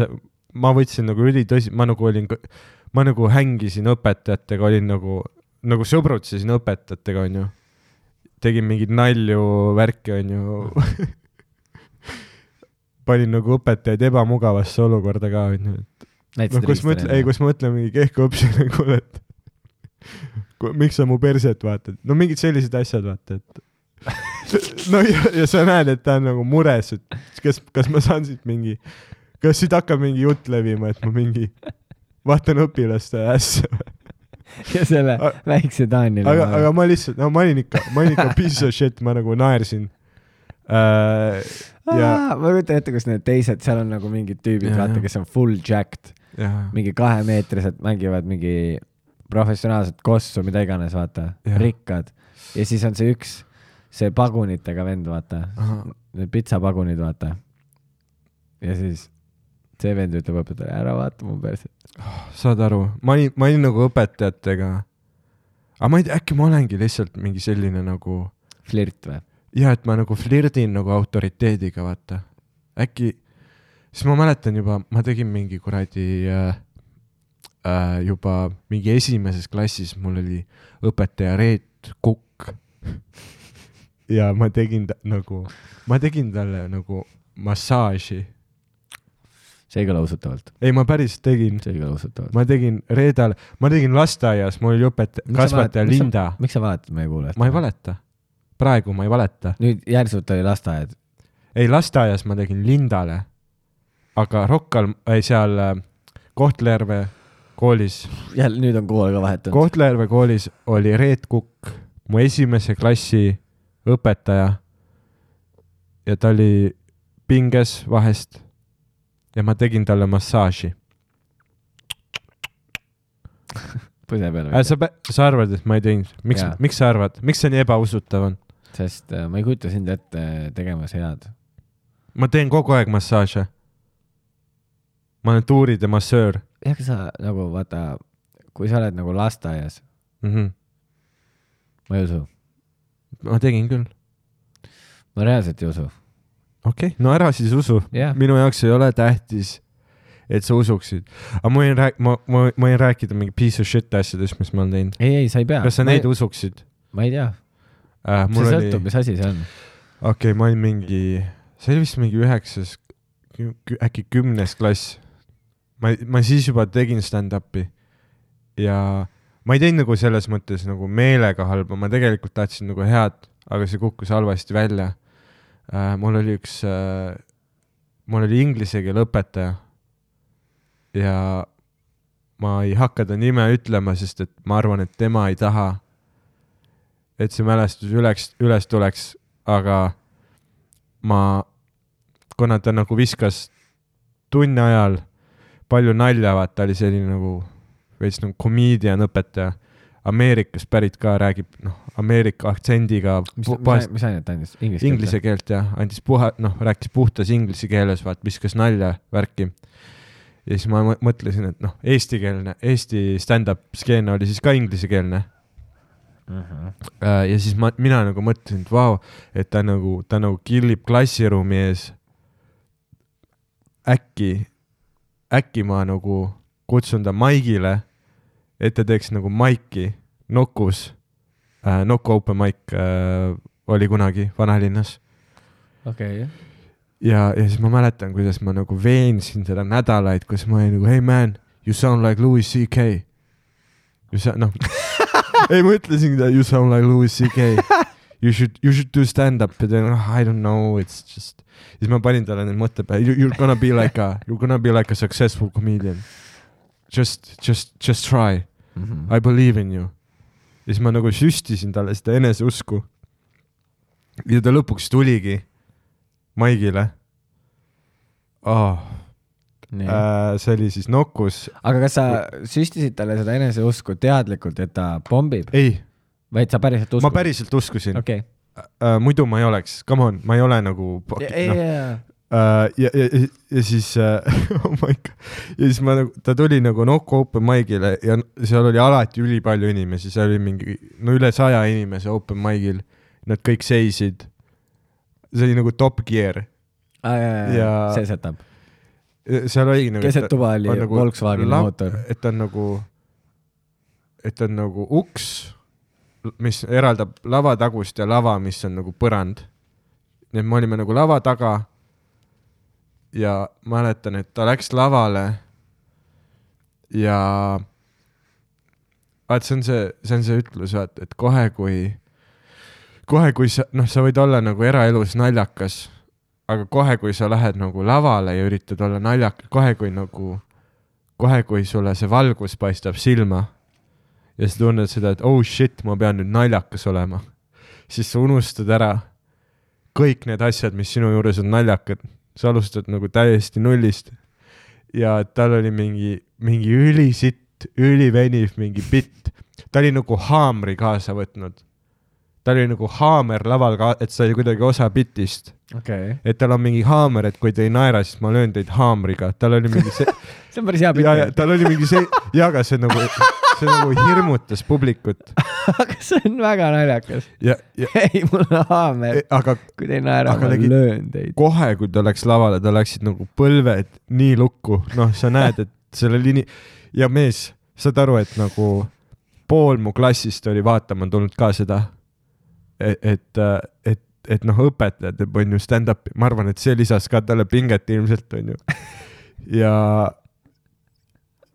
ma võtsin nagu üli tõsi, ma nagu olin, ma nagu hängisin õpetajatega, olin nagu, nagu sõbrutsesin õpetajatega, on ju. Tegin mingid nalju, värki, on ju. Panin nagu õpetajaid ebamugavasse olukorda ka, on ju. No, kus ma ütlen, ei, kus ma ütlen mingi kehku õpsile, kuule, et miks sa mu perset vaatad? No mingid sellised asjad vaata, et no ja, ja sa näed, et ta on nagu mures, et kas, kas ma saan siit mingi, kas siit hakkab mingi jutt levima, et ma mingi vaatan õpilaste ässa. Ja selle A- väikse Taanile. Aga, aga ma lihtsalt, no ma olin ikka, ma olin ikka piece of shit, ma nagu naersin. Äh, ja... Aa, ma võtan ette, kus need teised, seal on nagu mingid tüübid, ja, vaata, kes on full jacked. Ja. Mingi kahemeetrised mängivad mingi professionaalset kossu, mida iganes, vaata, ja. Rikkad. Ja siis on see üks, see pagunitega vend, vaata. Aha. Need pitsapagunid, vaata. Ja siis see vend ütleb õpetaja, ära vaata mu perset. Oh, saad aru, ma olin, ma olin nagu õpetajatega. Aga ma ei tea, äkki ma olengi lihtsalt mingi selline nagu... Flirt või? Ja, et ma nagu flirdin nagu autoriteediga, vaata. Äkki... Siis ma mäletan juba, ma tegin mingi kuradi äh, äh, juba mingi esimeses klassis, mul oli õpetaja Reet Kukk. Ja ma tegin ta, nagu, ma tegin talle nagu massaaži. See ei kõla usutavalt. Ei, ma päris tegin. See ei kõla usutavalt. Ma tegin Reedal, ma tegin lasteaias, mul oli õpetaja, kasvataja Linda. Miks sa valetad meie kuulajast? Ma ei valeta. Praegu ma ei valeta. Nüüd järsult oli lasteaiad. Ei, lasteaias ma tegin Lindale. Aga Rockal, ei seal Kohtla-Järve koolis. Jälle, nüüd on kool ka vahetanud. Kohtla-Järve koolis oli Reet Kukk, mu esimese klassi õpetaja. Ja ta oli pinges vahest. Ja ma tegin talle massaaži. Põse peale. Äh, sa, sa arvad, et ma ei teinud? Miks, miks sa arvad? Miks see nii ebausutav on? Sest äh, ma ei kujuta sind ette tegemas head. Ma teen kogu aeg massaaže. Ma olen tuuride massöör. Ja sa nagu vaata, kui sa oled nagu lasteaias. Mm-hmm. Ma ei usu. Ma tegin küll. Ma reaalselt ei usu. Okei, okay. No ära siis usu. Yeah. Minu jaoks ei ole tähtis, et sa usuksid. Aga ma võin, rääk- ma, ma, ma võin rääkida mingi piece of shit asjadest, mis ma olen teinud. Ei, ei, sa ei pea. Kas sa ma neid ei... usuksid? Ma ei tea. Äh, see sõltub, oli... mis asi see on. Okei, okay, ma olin mingi, see oli vist mingi üheksas, äkki kümnes klass. Ma, ma siis juba tegin stand-upi ja ma ei teinud nagu selles mõttes nagu meelega halba, ma tegelikult tahtsin nagu head, aga see kukkus halvasti välja. Uh, mul oli üks, uh, mul oli inglise keele õpetaja ja ma ei hakka ta nime ütlema, sest et ma arvan, et tema ei taha, et see mälestus üles, üles tuleks, aga ma, kuna ta nagu viskas tunni ajal palju nalja, vaata, oli selline nagu veits nagu comedian õpetaja, Ameerikas pärit ka räägib, noh, Ameerika aktsendiga. mis, mis, mis ainet andis? Inglise, inglise keelt jah, andis puha, noh, rääkis puhtas inglise keeles, vaat viskas nalja värki. Ja siis ma mõtlesin, et noh, eestikeelne, Eesti stand-up skeene oli siis ka inglisekeelne. Uh-huh. Ja siis ma, mina nagu mõtlesin, et vau, et ta nagu, ta nagu killib klassiruumi ees. Äkki, äkki ma nagu kutsun ta Maigile, et ta teeks nagu Maiki Nokus. Äh, Noku open mic äh, oli kunagi Vanalinnas. Okei. Okay. Ja, ja siis ma mäletan, kuidas ma nagu veensin seda nädalaid, kus ma olin nagu, hey man, you sound like Louis C K. You sound, noh, ei ma ütlesin, you sound like Louis C K. You should, you should do stand-up. Ja then, oh, I don't know, it's just... Siis ma panin talle need mõtte peale, you're gonna be like a, you're gonna be like a successful comedian. Just, just, just try. Mm-hmm. I believe in you. Ja siis ma nagu süstisin talle seda eneseusku. Ja ta lõpuks tuligi Maigile. Oh. Äh, see oli siis Nokus. Aga kas sa süstisid talle seda eneseusku teadlikult, et ta bombib? Ei. Vaid sa päriselt uskusid? Ma päriselt uskusin. Okay. Uh, muidu ma ei oleks, come on, ma ei ole nagu ja, no. ja, uh, ja, ja, ja, ja siis uh, oh my God. Ja siis ma nagu, ta tuli nagu Noku open mic'ile ja seal oli alati üli palju inimesi, seal oli mingi, no üle saja inimese open mic'il, nad kõik seisid, see oli nagu Top Gear ah, ja, ja, ja. see setab seal oli nagu keset tuba oli nagu Volkswagen la- mootor, et on nagu et on nagu uks mis eraldab lava tagust ja lava, mis on nagu põrand. Nii et me olime nagu lava taga ja mäletan, et ta läks lavale ja vaat see on see, see on see ütlus, vaat, et kohe kui kohe kui sa, noh, sa võid olla nagu eraelus naljakas, aga kohe kui sa lähed nagu lavale ja üritad olla naljakas, kohe kui nagu kohe kui sulle see valgus paistab silma ja sa tunned seda, et oh shit, ma pean nüüd naljakas olema. Siis sa unustad ära kõik need asjad, mis sinu juures on naljakad. Sa alustad nagu täiesti nullist. Ja tal oli mingi, mingi ülisitt, üliveniv mingi bitt. Ta oli nagu haamri kaasa võtnud. Ta oli nagu haamer laval, ka- et sa oli kuidagi osa bitist. Okay. Et tal on mingi haamer, et kui te ei naera, siis ma löön teid haamriga. Tal oli mingi see... see on päris hea bitt. Ja, ja tal oli mingi see... Ja, aga see nagu... see nagu hirmutas publikut. Aga see on väga naljakas. Ja, ja, ei, mul on haamer. Aga, kui te ei naera, ma legi, löön teid. Kohe, kui ta läks lavale, ta läksid nagu põlved nii lukku. Noh, sa näed, et selle liini... Ja mees, saad aru, et nagu pool mu klassist oli vaatama tulnud ka seda, et, et, et, et noh, õpetajad on ju stand-upi. Ma arvan, et see lisas ka talle pinget ilmselt on ju. Ja...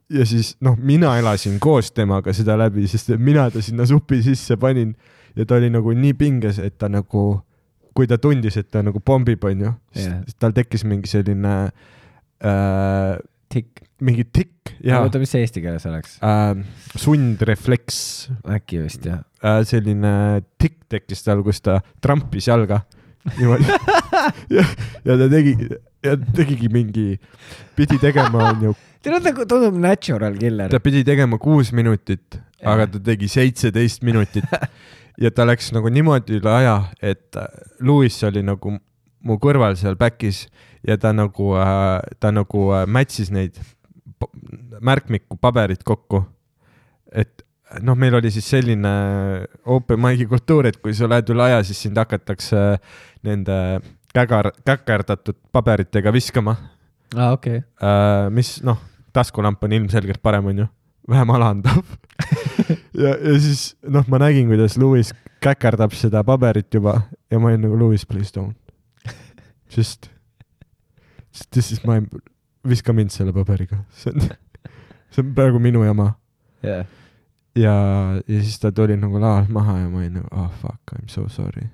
Ja siis, noh, mina elasin koos temaga seda läbi, sest mina ta sinna supi sisse panin ja ta oli nagu nii pinges, et ta nagu, kui ta tundis, et ta nagu pombib, on ju, yeah. Tal tekkis mingi selline äh, tikk. Mingi tikk. Oota, mis see eesti keeles oleks? Äh, sundrefleks. Äkki vist, jah. Äh, selline tikk tekkis tal, kus ta trampis jalga. Niimoodi. ja, ja ta tegi, ja tegigi mingi, pidi tegema, on ju, ta tundub natural killer. Ta pidi tegema kuus minutit, ja. Aga ta tegi seitseteist minutit ja ta läks nagu niimoodi üle aja, et Louis oli nagu mu kõrval seal backis ja ta nagu, ta nagu mätsis neid märkmiku paberit kokku. Et noh, meil oli siis selline open mic'i kultuur, et kui sa lähed üle aja, siis sind hakatakse nende kägar, käkerdatud paberitega viskama. Ah, okei. Okay. Mis, noh, taskulamp on ilmselgelt parem, on ju. Vähem alandav. ja, ja siis, noh, ma nägin, kuidas Louis käkerdab seda paberit juba ja ma olin nagu, Louis, please don't. Just, this is my, viska mind selle paberiga. See on, see on praegu minu jama. Yeah. Ja, ja siis ta tuli nagu laas maha ja ma olin nagu, oh fuck, I'm so sorry.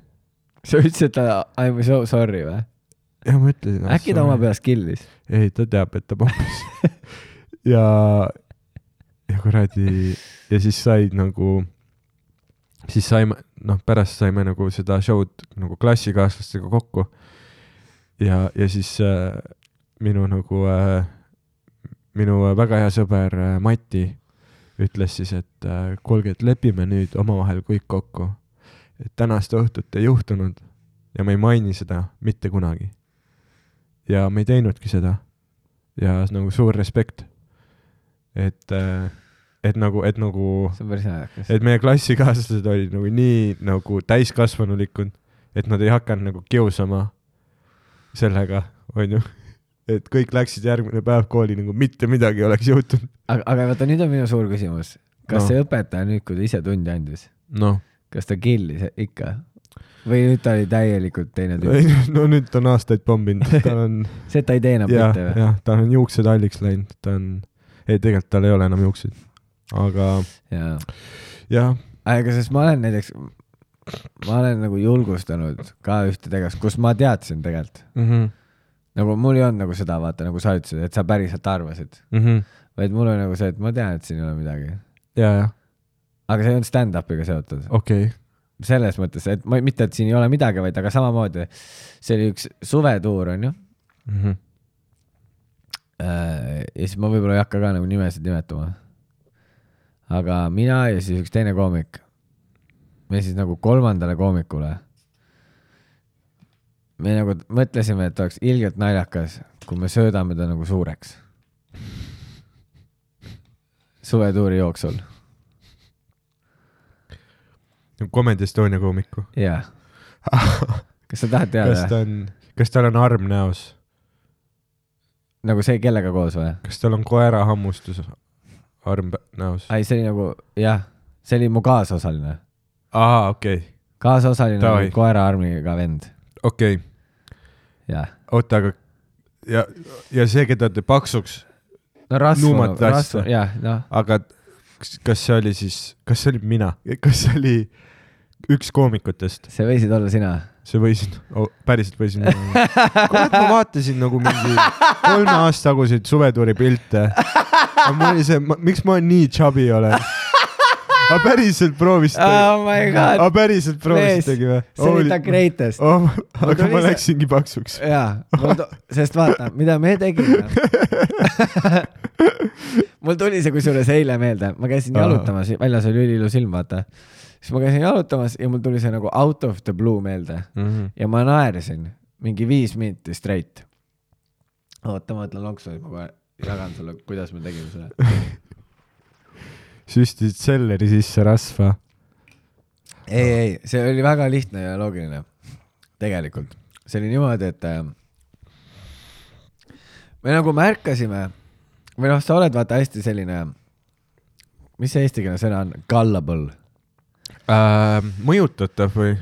Sa ütlesid, et I'm so sorry või? Ja ma ütlesin. Äkki ta oma peas killis? Ei, ta teab, et ta pompis. ja, ja kuradi, ja siis said nagu, siis saime, noh, pärast saime nagu seda show'd nagu klassikaaslastega kokku. Ja, ja siis äh, minu nagu, äh, minu väga hea sõber äh, Mati ütles siis, et äh, kuulge, et lepime nüüd omavahel kõik kokku. et tänast õhtut ei juhtunud ja ma ei maini seda mitte kunagi. Ja me ei teinudki seda. Ja nagu suur respekt. Et, et nagu, et nagu, see on päris naljakas. et meie klassikaaslased olid nagu nii nagu täiskasvanulikud, et nad ei hakanud nagu kiusama sellega, on ju. Et kõik läksid järgmine päev kooli nagu mitte midagi oleks juhtunud. Aga, aga vaata, nüüd on minu suur küsimus. Kas no. see õpetaja nüüd, kui ta ise tundi andis, no. kas ta killis ikka? Või nüüd ta oli täielikult teine tüüp? No nüüd ta on aastaid pombinud. Ta on... see, et ta ei teena ja, mitte või? Jah, ta on juuksed halliks läinud. Ta on... Ei, tegelikult tal ei ole enam juuksed. Aga... Jaa. Jah. Aga sest ma olen näiteks... Ma olen nagu julgustanud ka ühte tegevust, kus ma teadsin tegelikult. Mm-hmm. Nagu mul ei olnud nagu seda, vaata, nagu sa ütlesid, et sa päriselt arvasid. Mm-hmm. Vaid mul oli nagu see, et ma tean, et siin ei ole midagi. Jaa, jah. Aga see on stand-upiga seotud. Okei. Okay. Selles mõttes, et ma, mitte, et siin ei ole midagi, vaid aga samamoodi see oli üks suvetuur, on ju. Mm-hmm. Ja siis ma võib-olla ei hakka ka nagu nimesid nimetama. Aga mina ja siis üks teine koomik, me siis nagu kolmandale koomikule, me nagu mõtlesime, et oleks ilgelt naljakas, kui me söödame ta nagu suureks. Suvetuuri jooksul. Comedy Estonia koomiku. Jaa. Kas sa tahad teada? Kas, ta on, kas tal on arm näos? Nagu see kellega koos või? Kas tal on koera hammustus arm näos? Ai, see oli nagu, jah, see oli mu kaasosaline. Aha, okei. Okay. Kaasosaline nagu koera armiga vend. Okei. Okay. Jah. Oota, aga ja, ja see, keda te paksuks no rasvunud, rasvunud, jah, noh. Aga kas see oli siis, kas see oli mina? Kas see oli üks koomikutest? See võisid olla sina. See võisin, oh, päriselt võisin. Kurat, ma vaatasin nagu mingi kolme aasta taguseid suvetuuri pilte. Ma oli see, ma, miks ma nii chubby olen? A päriselt proovisite? Oh my god. A päriselt proovisitegi või? See oli ta greatest. Oh, aga ma läksingi paksuks. Jaa, sest vaata, mida me tegime. Mul tuli see kusjuures eile meelde. Ma käisin jalutamas, väljas oli üliilus ilm, vaata. Siis ma käisin jalutamas ja mul tuli see nagu out of the blue meelde. Mm-hmm. Ja ma naerisin mingi viis minti straight. Oota, ma mõtlen lonksu, et ma jagan sulle, kuidas me tegime selle. Süstisid selleri sisse rasva. Ei, ei, see oli väga lihtne ja loogiline. Tegelikult. See oli niimoodi, et äh, me nagu märkasime, või noh, sa oled vaata hästi selline, mis see eestikeelne sõna on? Gullible. Äh, mõjutatav või?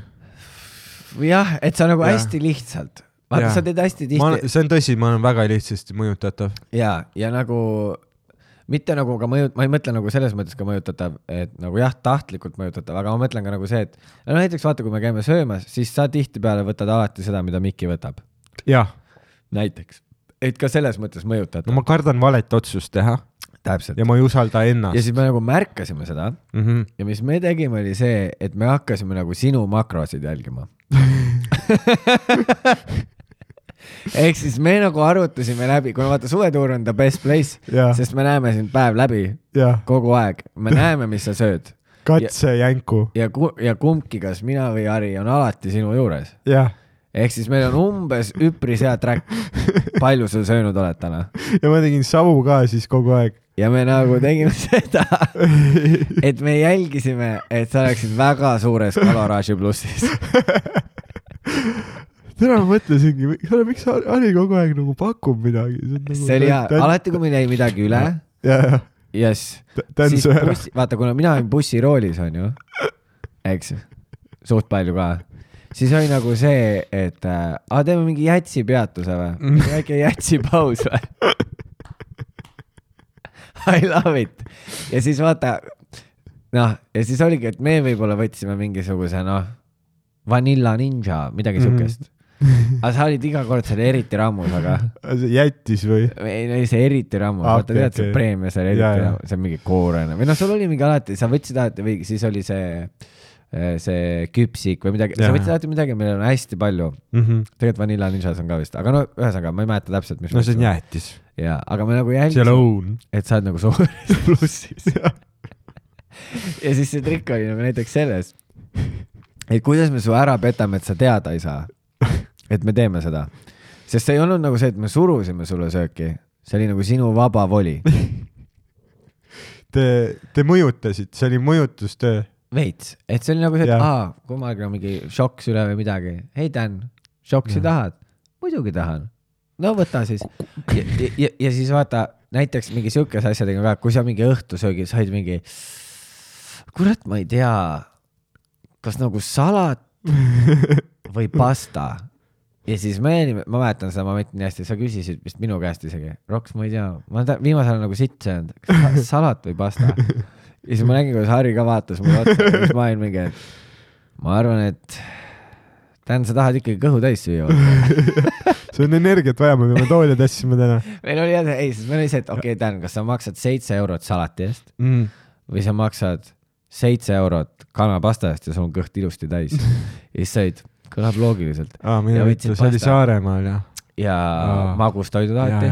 Jah, et sa nagu ja. hästi lihtsalt. Vaata, ja. sa teed hästi tihti. Ma, see on tõsi, ma olen väga lihtsasti mõjutatav. Ja, ja nagu... Mitte nagu ka mõjut, ma ei mõtle nagu selles mõttes ka mõjutatav, et nagu jah, tahtlikult mõjutatav, aga ma mõtlen ka nagu see, et no näiteks vaata, kui me käime söömas, siis sa tihti peale võtad alati seda, mida Mikki võtab. Jah. Näiteks. Et ka selles mõttes mõjutatav. No ma kardan valet otsust teha. Täpselt. Ja ma ei usalda ennast. Ja siis me nagu märkasime seda. Mm-hmm. Ja mis me tegime oli see, et me hakkasime nagu sinu makrosid jälgima. Ehk siis me nagu arutasime läbi, kuna vaata suvetuur on the best place, ja. Sest me näeme sind päev läbi ja. Kogu aeg. Me näeme, mis sa sööd. Katse ja, jänku. Ja, ja kumbki, kas mina või Ari on alati sinu juures. Ja. Ehk siis meil on umbes üpris hea track. Palju sa söönud oled täna? Ja ma tegin savu ka siis kogu aeg. Ja me nagu tegime seda, et me jälgisime, et sa oleksid väga suures kaloraaži plussis. Täna ma mõtlesingi, miks Ari kogu aeg nagu pakub midagi? See, nagu see oli hea, tän... alati kui meil jäi midagi üle, ja, ja. Yes, siis bussi, vaata, kuna mina olin bussiroolis, on ju, eks, suht palju ka, siis oli nagu see, et äh, a, teeme mingi jätsi peatuse või? Mingi väike jätsi paus või? I love it. Ja siis vaata, noh, ja siis oligi, et me võib-olla võtsime mingisuguse, noh, Vanilla Ninja, midagi mm-hmm. sukest. Aga sa olid iga kord selle eriti rammus, aga... See jättis või? Ei, no see eriti rammus. Ah, vaata, okay, tead, see okay. Preemia, see eriti rammus, see on mingi koorene. Või noh, sul oli mingi alati, sa võtsid alati, või siis oli see, see küpsik või midagi. Ja. Sa võtsid alati midagi, meil on hästi palju. Mm-hmm. Tegelikult Vanilla Ninjas on ka vist. Aga no, ühesõnaga, ma ei mäleta täpselt, mis... No see on jättis. Ja, aga me nagu jälgisime, et sa oled nagu suures plussis. Ja siis see trikk oli nagu näiteks selles, et kuidas me su ära petame, et sa teada ei saa, et me teeme seda. Sest see ei olnud nagu see, et me surusime sulle sööki. See oli nagu sinu vaba voli. Te, te mõjutasid, see oli mõjutustöö. Veits, et see oli nagu see, et aa, kui ma olen mingi šoks üle või midagi. Hei Dan, šoksi tahad? Muidugi tahan. No võta siis. Ja, ja, ja siis vaata, näiteks mingi siukes asjadega ka, kui sa mingi õhtusöögi said mingi, kurat, ma ei tea, kas nagu salat või pasta. Ja siis me, ma mäletan seda momenti nii hästi, sa küsisid vist minu käest isegi. Roks, ma ei tea, ma ta, viimasel nagu sitt söönud, kas salat või pasta. Ja siis ma nägin, kuidas Harri ka vaatas mulle otsa, siis ma olin mingi, et ma arvan, et Dan, sa tahad ikkagi kõhu täis süüa. See on energiat vaja, me peame tooli tassime täna. Meil oli jah, ei, siis meil oli see, et okei, okay, Dan, kas sa maksad seitse eurot salati eest mm. või sa maksad seitse eurot kanapasta eest ja sul on kõht ilusti täis. Ja siis said, kõlab loogiliselt. Aa, minu võttu, see oli Saaremaal ja. Ja Aa. Magustoidu tahati.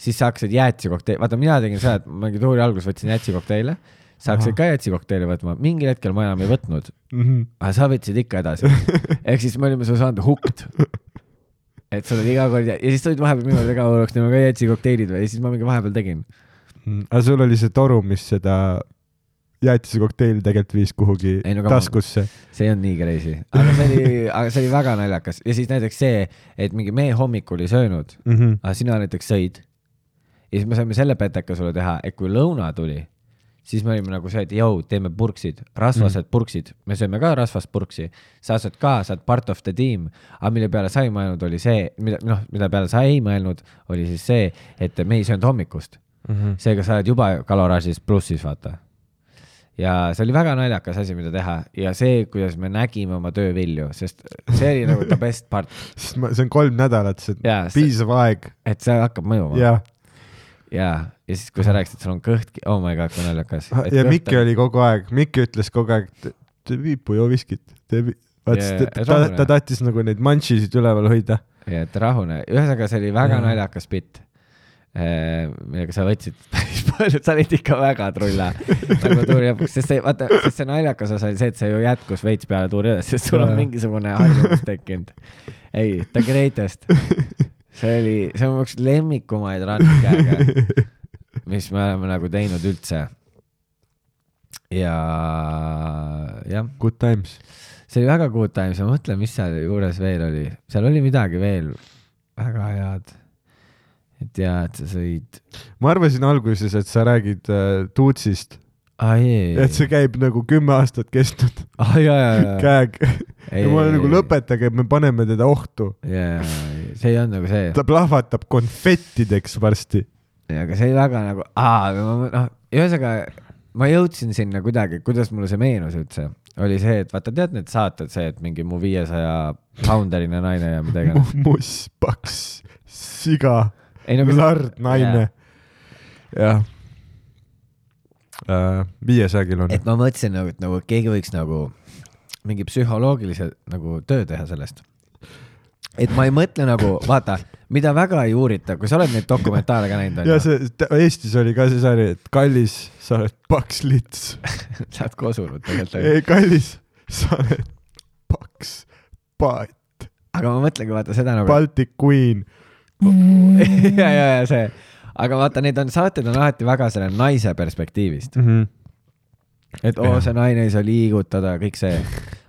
Siis sa hakkasid jäätsikokteili, vaata mina tegin seda, et ma mingi tuuri alguses võtsin jäätsikokteile. Sa hakkasid ka jäätsikokteili võtma, mingil hetkel ma enam ei võtnud, mm-hmm. aga sa võtsid ikka edasi. Ehk siis me olime su saanud hukt. Et sa oled iga kord ja siis tulid vahepeal minu ega oleks nema ka jäätsikokteilid või ja siis ma mingi vahepeal tegin. Mm, aga sul oli see toru, mis seda jäätsikokteili tegelikult viis kuhugi ei, no, taskusse. See on nii crazy. Aga see oli, aga see oli väga naljakas. Ja siis näiteks see, et mingi meie hommikul ei söönud, mm-hmm. aga sina näiteks sõid. Ja siis me saime selle peteka sulle teha, et kui lõuna tuli, siis me olime nagu see, et jõu, teeme purksid, rasvased mm. purksid. Me sööme ka rasvast purksi. Sa saad ka, saad part of the team. Aga mille peale sa ei mõelnud oli see, mida, noh, mida peale sa ei mõelnud, oli siis see, et me ei söönud hommikust. Mm-hmm. Seega sa oled juba kaloraažis plussis, vaata. Ja see oli väga naljakas asi, mida teha. Ja see, kuidas me nägime oma töövilju, sest see oli nagu the best part. See on kolm nädalat, see ja, piisav aeg. Et see hakkab mõjuma. Ja. Ja, ja siis kui sa rääkisid, et sul on kõht, oh my god, kui naljakas. Ja Mikki oli kogu aeg, Mikki ütles kogu aeg, te viipu joo viskit. Te vi... yeah, ta, ta, ta tahtis nagu neid manšisid üleval hoida. Ja, et rahune. Ühesõnaga, see oli väga ja. Naljakas bitt, millega sa võtsid päris palju, sa olid ikka väga trulla. Nagu tuuri lõpuks, sest see, vaata, sest see naljakas osa oli see, et see ju jätkus veits peale tuuri üles, sest sul on mingisugune harjumus tekkinud. Ei, the greatest. See oli, see on üks lemmikumaid rannkäega, mis me oleme nagu teinud üldse. Ja, jah. Good times. See oli väga good times. Ma mõtlen, mis seal juures veel oli. Seal oli midagi veel väga head. Et ja, et sa sõid. Ma arvasin alguses, et sa räägid äh, Tuutsist. Ah, ei, et see käib nagu kümme aastat kestnud. Ah, jah, jah, jah. Käeg. Ja ma olen nagu lõpetage, et me paneme teda ohtu. Ja, see ei on nagu see. Ta plahvatab konfettideks varsti. Ja, aga see oli väga nagu, aa, noh, ühesõnaga, ma jõudsin sinna kuidagi, kuidas mulle see meenus üldse. Oli see, et vaata, tead need saated see, et mingi mu viiesaja pounderine naine ja midagi. Muss, paks, siga, ei, nagu lard, naine. Jah. Uh, viiesaja kilone. Et ma mõtlesin nagu, et nagu keegi võiks nagu mingi psühholoogilise nagu töö teha sellest. Et ma ei mõtle nagu, vaata, mida väga ei uurita, kui sa oled neid dokumentaale ka näinud. Ja see, Eestis oli ka see sari, et kallis, sa oled paks lits. Sa oled kosunud tegelikult. Ei, kallis, sa oled paks paat. Aga ma mõtlengi, vaata seda nagu... Baltic Queen. ja, ja, ja see... Aga vaata, need on saated on alati väga selle naise perspektiivist. Mm-hmm. Et oo, see naine ei saa liigutada, kõik see.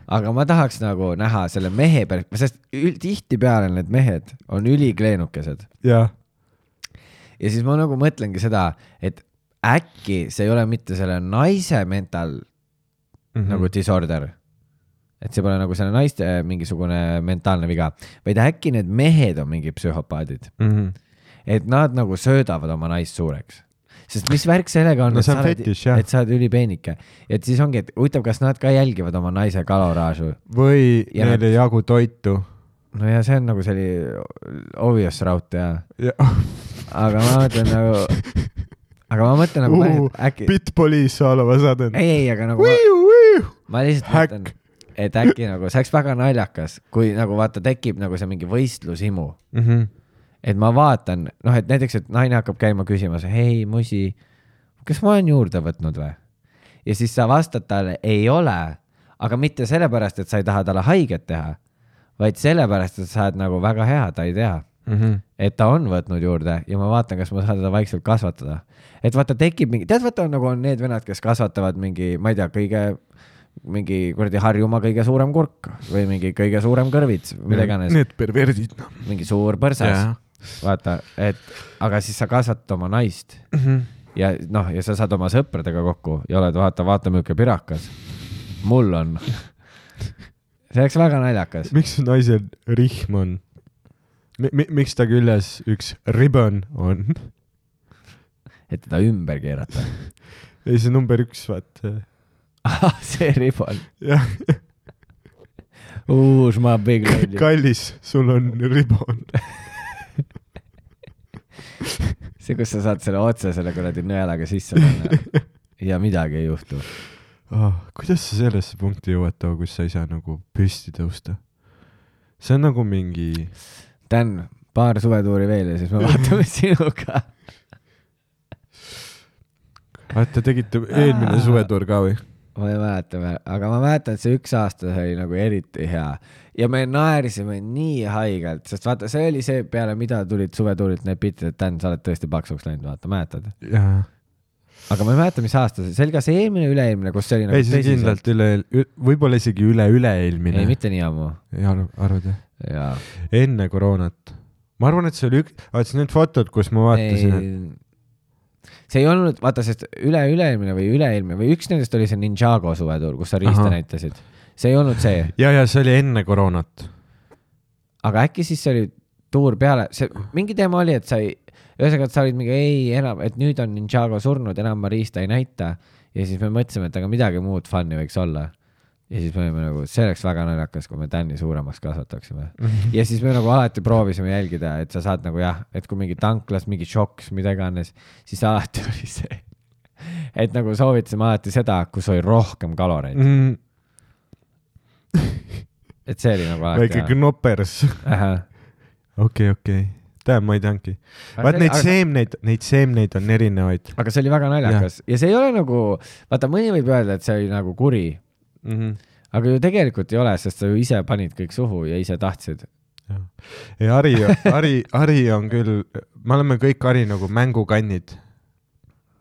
Aga ma tahaks nagu näha selle mehe perspektiivist, sest tihti peale need mehed on ülikleenukesed. Ja. Ja siis ma nagu mõtlengi seda, et äkki see ei ole mitte selle naise mental mm-hmm. nagu disorder. Et see pole nagu selle naiste mingisugune mentaalne viga, vaid äkki need mehed on mingi psühhopaadid. Mhm. Et nad nagu söödavad oma naist suureks. Sest mis värk sellega on, no, et, sa oled, fetish, et sa oled ülipeenike. Et siis ongi, et huvitav, kas nad ka jälgivad oma naise kaloraažu. Või ja neile nad... jagu toitu. No ja see on nagu selli obvious route, ja. ja. Aga ma mõtlen nagu... Aga ma mõtlen nagu... Uh, äkki... Bitpoliis oleva saden. Ei, ei, aga nagu... Wiu, wiu. Ma lihtsalt Hack. Mõtlen, et äkki nagu... See oleks väga naljakas, kui nagu vaata tekib nagu see mingi võistlusimu. Mhm. Et ma vaatan, noh, et näiteks, et naine hakkab käima küsimas, hei, musi, kas ma olen juurde võtnud või? Ja siis sa vastad talle, ei ole, aga mitte sellepärast, et sa ei taha talle haiget teha, vaid sellepärast, et sa oled nagu väga hea, ta ei tea. Mm-hmm. Et ta on võtnud juurde ja ma vaatan, kas ma saan teda vaikselt kasvatada. Et vaata tekib mingi, tead vaata nagu on need venad, kes kasvatavad mingi, ma ei tea, kõige mingi kuradi Harjumaa kõige suurem kurk või mingi kõige suurem kõrvits, mida iganes. Need perverdid. No. Mingi suur põrsas. Yeah. Vaata, et aga siis sa kasvatad oma naist mm-hmm. ja noh, ja sa saad oma sõpradega kokku ja oled vaata, vaata müüke pirakas. Mul on. See oleks väga naljakas. Miks naisel rihm on? M- miks ta küljes üks ribbon on? Et teda ümber keerata. Ei, see number üks, vaat. Ah, see ribbon. Jah. Uus ma big lady. Kallis, sul on ribbon. See, kus sa saad selle otse selle kuradi nõelaga sisse panna ja midagi ei juhtu. Oh, kuidas sa sellesse punkti jõuad too, kus sa ei saa nagu püsti tõusta? See on nagu mingi... Dan, paar suvetuuri veel ja siis me vaatame sinuga. Vaata, tegite eelmine suvetuur ka või? Ma ei mäleta, aga ma mäletan, et see üks aasta oli nagu eriti hea. Ja me naerisime nii haigelt, sest vaata, see oli see peale, mida tulid suvetuurilt need pitid, et Dan, sa oled tõesti paksuks läinud, vaata, mäletad? Jaa. Aga ma ei mäleta, mis aasta see, see oli ka see eelmine üle-eelmine, kus see oli nagu ei, see kindlalt üle, võib-olla isegi üle-üle-eelmine. Ei, mitte nii ammu. Ei arvad, jah? Jaa. Enne koroonat. Ma arvan, et see oli üks, vaatasin need fotod, kus ma vaatasin. Ei, see ei olnud, vaata, sest üle-üle-eelmine või üle-eelmine või üks nendest oli see Ninjago suvetuur, kus sa riista Aha. näitasid. See ei olnud see. Ja, ja see oli enne koroonat. Aga äkki siis see oli tuur peale, see mingi teema oli, et sa ei, ühesõnaga, et sa olid mingi, ei enam, et nüüd on Ninjago surnud, enam ma riista ei näita. Ja siis me mõtlesime, et aga midagi muud funni võiks olla. Ja siis me olime nagu, see oleks väga naljakas, kui me Danni suuremaks kasvataksime. Mm-hmm. Ja siis me nagu alati proovisime jälgida, et sa saad nagu jah, et kui mingi tanklas, mingi šoks, mida iganes, siis alati oli see, et nagu soovitasime alati seda, kus oli rohkem kaloreid. Mm-hmm. Et see oli nagu alati. Väike knopers. Okei, okei. Tähendab, ma ei tanki. Vaat neid aga... seemneid, neid seemneid on erinevaid. Aga see oli väga naljakas. Ja, ja see ei ole nagu, vaata, mõni võib öelda, et see oli nagu kuri. Mm-hmm. Aga ju tegelikult ei ole, sest sa ju ise panid kõik suhu ja ise tahtsid. Ja, ja Ari, Ari, Ari on küll, me oleme kõik Ari nagu mängukannid.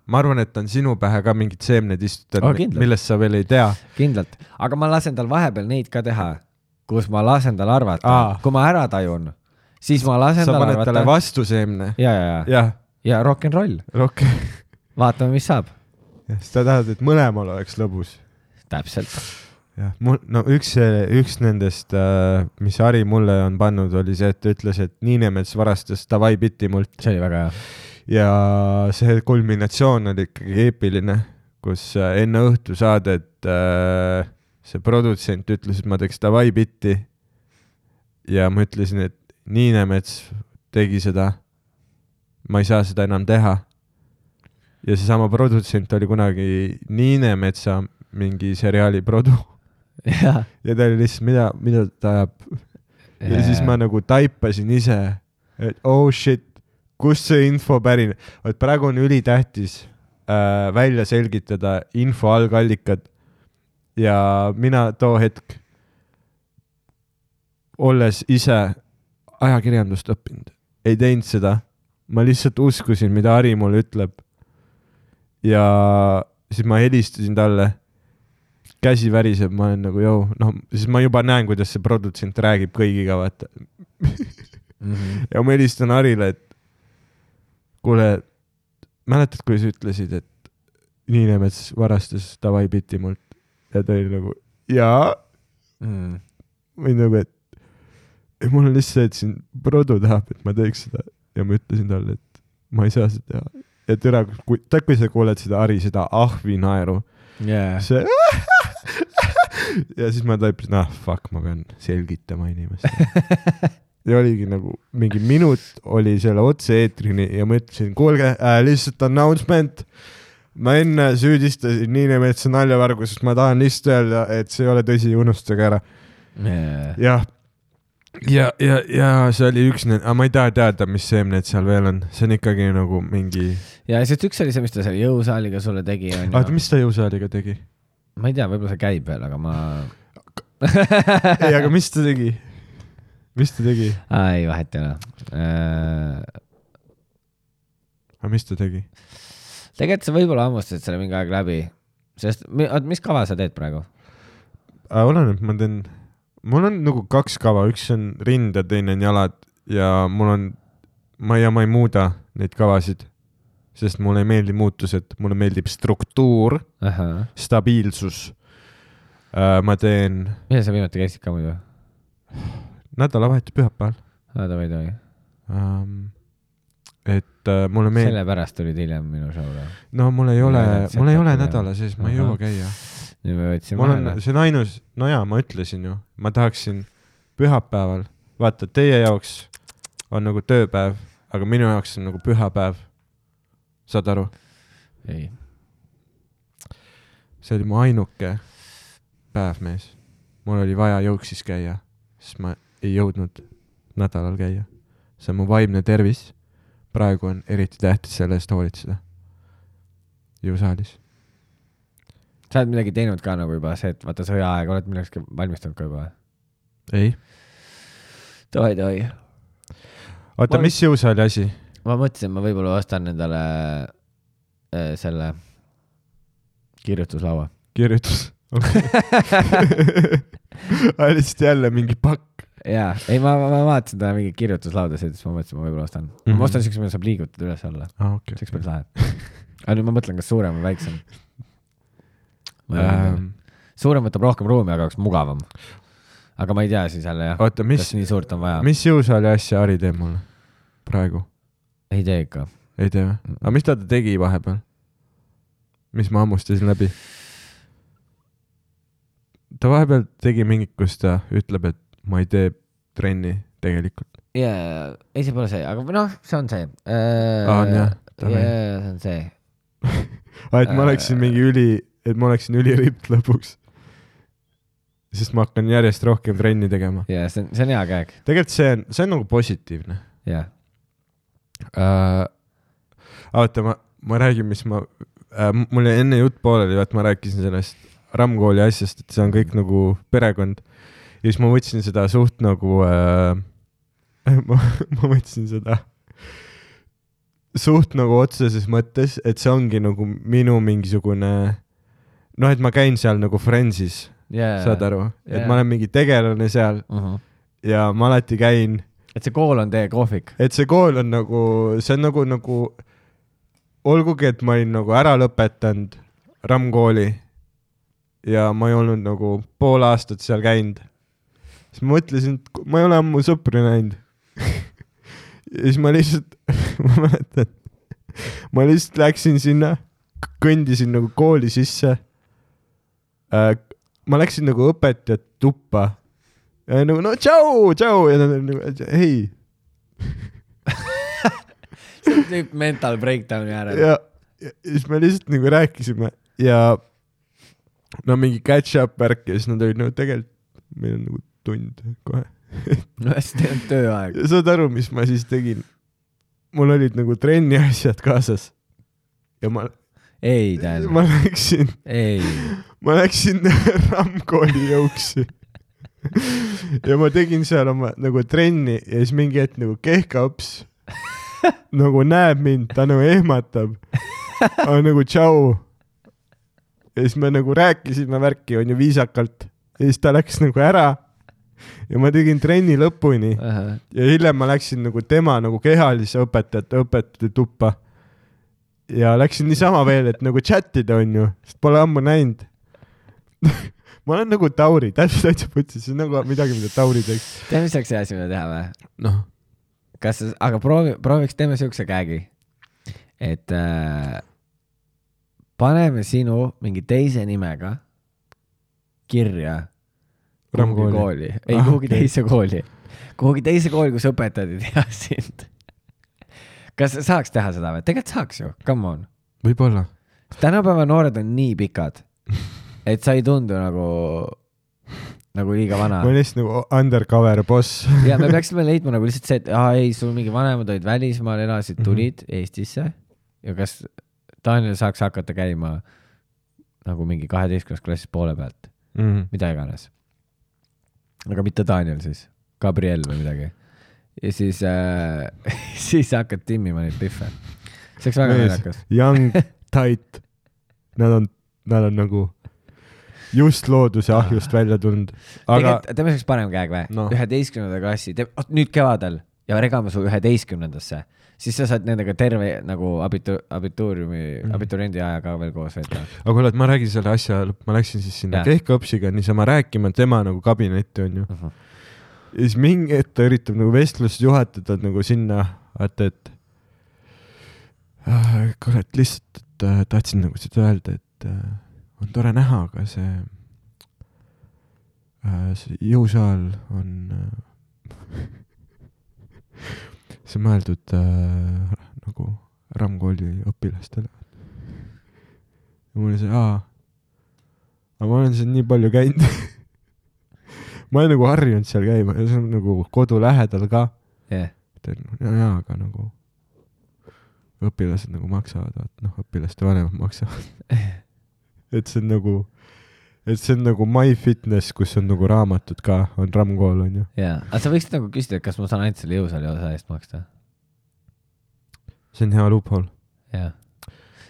Ma arvan, et on sinu pähe ka mingid seemned istutud, oh, millest sa veel ei tea. Kindlalt. Aga ma lasen tal vahepeal neid ka teha, kus ma lasen tal arvata. Aa. Kui ma ära tajun, siis ma lasen sa tal arvata. Sa paned talle vastu seemne. Ja, ja, ja. Ja, ja rock and roll. Rock. Vaatame, mis saab. Ja, siis ta tahad, et mõlemal oleks lõbus. Täpselt. Ja, mul, no üks, üks nendest, mis Ari mulle on pannud, oli see, et ta ütles, et Niinemets varastas Davai Bitti mult. See oli väga hea. Ja see kulminatsioon oli ikkagi eepiline, kus enne õhtu saadet see produtsent ütles, et ma teeks Davai Bitti ja ma ütlesin, et Niinemets tegi seda, ma ei saa seda enam teha. Ja see sama produtsent oli kunagi Niinemetsa mingi seriaali produ. Ja, ja ta oli lihtsalt, mida, mida ta ajab. Ja, ja siis ma nagu taipasin ise, et oh shit, kus see info pärine. Et praegu on ülitähtis äh, välja selgitada info algallikad. Ja mina too hetk, olles ise ajakirjandust õppinud, ei teinud seda. Ma lihtsalt uskusin, mida Ari mulle ütleb. Ja siis ma helistasin talle. Käsi väriseb, ma olen nagu, joo, noh, siis ma juba näen, kuidas see produtsent räägib kõigiga, vaata. Mm-hmm. Ja ma helistan Arile, et kuule, mäletad, kui sa ütlesid, et Niinemets varastas Davai Bitti mult ja ta oli nagu, jaa. Mm. Või nagu, et mul on lihtsalt, et siin produ tahab, et ma teeks seda ja ma ütlesin talle, et ma ei saa seda teha. Ja türa, kui, ta, kui sa kuuled seda Ari, seda ahvi naeru, yeah. See ja siis ma taipasin, ah fuck, ma pean selgitama inimest. Ja oligi nagu mingi minut oli selle otse eetrini ja ma ütlesin, kuulge, äh, lihtsalt announcement. Ma enne süüdistasin Niinemetsa naljavargusest, ma tahan lihtsalt öelda, et see ei ole tõsi, unustage ära. Yeah. Ja, ja, ja, ja see oli üks, aga ma ei taha teada, mis seemned seal veel on. See on ikkagi nagu mingi... Ja siis üks oli see, mis ta seal jõusaaliga sulle tegi. Ah, mis ta jõusaaliga tegi? ma ei tea, võib-olla see käib veel, aga ma ei, aga mis ta tegi? Mis ta tegi? Aa, ei, vahet ei ole äh... aga mis ta tegi? Tegelikult sa võib-olla hammustasid selle mingi aeg läbi, sest mis kava sa teed praegu? Oleneb, ma teen, mul on nagu kaks kava, üks on rind ja teine on jalad ja mul on, ma ja ma ei muuda neid kavasid, sest mulle ei meeldi muutused, mulle meeldib struktuur, Aha. stabiilsus. Ma teen... Mida sa viimati käisid ka muidu? Nädalavahetus pühapäeval. Aa, ta või tohi. Um, et uh, mulle meeldib... Sellepärast tulid hiljem minu show'le. No mul ei ole, mul ei ole nädala sees, ma ei jõua käia. Nüüd me võtsime mul on, see on ainus, no jaa, ma ütlesin ju, ma tahaksin pühapäeval, vaata, teie jaoks on nagu tööpäev, aga minu jaoks on nagu pühapäev. Saad aru? Ei. See oli mu ainuke päev, mees. Mul oli vaja jooksis käia, sest ma ei jõudnud nädalal käia. See on mu vaimne tervis. Praegu on eriti tähtis selle eest hoolitseda. Jõusaalis. Sa oled midagi teinud ka nagu juba see, et vaata sõjaaeg, oled millekski valmistunud ka juba? Ei. Toi, toi. Oota, ma... mis jõusaali asi? Ma mõtlesin, ma võib-olla ostan endale äh, selle kirjutuslaua. Kirjutus? Okay. Lihtsalt jälle mingi pakk. Jaa, ei ma, ma vaatasin ta mingi kirjutuslauda, siis ma mõtlesin, ma võib-olla ostan. Mm -hmm. Ma ostan siukse, mida saab liigutada üles alla. Ah, okay, siukse päris lahe. Aga nüüd ma mõtlen, kas suurem või väiksem. Ähm. Suurem võtab rohkem ruumi, aga oleks mugavam. Aga ma ei tea siis jälle jah. Oota, mis, kas nii suurt on vaja. Mis jõusaali asja Ari teeb mulle praegu? Ei tee ikka. Ei tee või? Aga mis ta tegi vahepeal? Mis ma ammustasin läbi? Ta vahepeal tegi mingit, kus ta ütleb, et ma ei tee trenni tegelikult. Jaa, ei see pole see, aga noh, see on see. Äh, ah, on jah. Jaa, see on see. et ma oleksin mingi üli, et ma oleksin üliript lõpuks. Sest ma hakkan järjest rohkem trenni tegema. Jaa, see on, see on hea käeg. Tegelikult see on, see on nagu positiivne. Jaa. Uh, oota, ma, ma räägin, mis ma, uh, mul enne jutt pooleli, et ma rääkisin sellest Ramkooli asjast, et see on kõik nagu perekond. Ja siis ma võtsin seda suht nagu, uh, ma, ma võtsin seda suht nagu otseses mõttes, et see ongi nagu minu mingisugune, noh, et ma käin seal nagu Friendsis, yeah, saad aru, yeah. Et ma olen mingi tegelane seal uh-huh. Ja ma alati käin. Et see kool on teie kohvik? Et see kool on nagu, see on nagu, nagu olgugi, et ma olin nagu ära lõpetanud Ramkooli ja ma ei olnud nagu pool aastat seal käinud. Siis ma mõtlesin, et ma ei ole ammu sõpri näinud. Ja siis ma lihtsalt, ma mäletan, ma lihtsalt läksin sinna, kõndisin nagu kooli sisse. Ma läksin nagu õpetajat tuppa. Ja nagu, no tšau, tšau. Ja nad nagu, hei. See on tüüp mental breakdowni äärel. Ja, ja siis me lihtsalt nagu rääkisime ja no mingi catch-up värk ja siis nad olid nagu tegelikult, meil on nagu tund kohe. No hästi teil on tööaeg. Ja saad aru, mis ma siis tegin? Mul olid nagu trenni asjad kaasas. Ja ma... Ei, tähendab. Ma läksin... Ei. Ma läksin Ramkooli jõuksi. Ja ma tegin seal oma nagu trenni ja siis mingi hetk nagu kehkaps nagu näeb mind, ta nagu ehmatab. Aga nagu tšau. Ja siis me nagu rääkisime värki, on ju viisakalt. Ja siis ta läks nagu ära. Ja ma tegin trenni lõpuni. Uh-huh. Ja hiljem ma läksin nagu tema nagu kehalise õpetajate õpetajate tuppa. Ja läksin niisama veel, et nagu chatida on ju. Sest pole ammu näinud. Ma olen nagu Tauri, täpselt täitsa putsis. See on nagu midagi, mida Tauri teeks. Teeme mis oleks see asi, mida teha või? Noh. Kas, aga proovi, prooviks teeme siukse käegi. Et äh, paneme sinu mingi teise nimega kirja kuhugi kooli. Ei, ah, kuhugi okay. teise kooli. Kuhugi teise kooli, kus õpetajad ei tea sind. Kas saaks teha seda või? Tegelikult saaks ju, come on. Võib-olla. Tänapäeva noored on nii pikad, et sa ei tundu nagu, nagu liiga vana. Ma olen lihtsalt nagu undercover boss. Ja me peaksime leidma nagu lihtsalt see, et aa, ei, sul mingi vanemad olid välismaal, elasid, tulid mm-hmm. Eestisse ja kas Daniel saaks hakata käima nagu mingi kaheteistkümnes klassis poole pealt mm. -hmm. mida iganes. aga mitte Daniel siis, Gabriel või midagi. ja siis äh, siis hakkad timmima neid pihve. see oleks väga naljakas. Young, tight. Nad on, nad on nagu just looduse ahjust välja tulnud. Aga... teeme selleks parem käeg või? No. üheteistkümnenda klassi, nüüd kevadel ja regame su üheteistkümnendasse, siis sa saad nendega terve nagu abitu, abituuriumi, mm. abituriendi aja ka veel koos veeta. aga kuule, et ma räägin selle asja, ma läksin siis sinna Kehkõpsiga niisama rääkima tema nagu kabinetti on ju. Uh -huh. ja siis mingi hetk ta üritab nagu vestlust juhatada nagu sinna, et, et äh, kuule, et lihtsalt et, äh, tahtsin nagu seda öelda, et äh, on tore näha, aga see, äh, see jõusaal on äh, see mõeldud äh, nagu Ramkooli õpilastele. ja mul oli see, aa, aga ma olen seal nii palju käinud. ma olen nagu harjunud seal käima ja see on nagu kodu lähedal ka. Yeah. ja, ja, aga nagu õpilased nagu maksavad, vaat, noh, õpilaste vanemad maksavad. et see on nagu, et see on nagu MyFitness, kus on nagu raamatud ka, on Ramkool, on ju. jaa, aga sa võiksid nagu küsida, et kas ma saan ainult selle jõusaali osa eest maksta? see on hea loophole. jaa.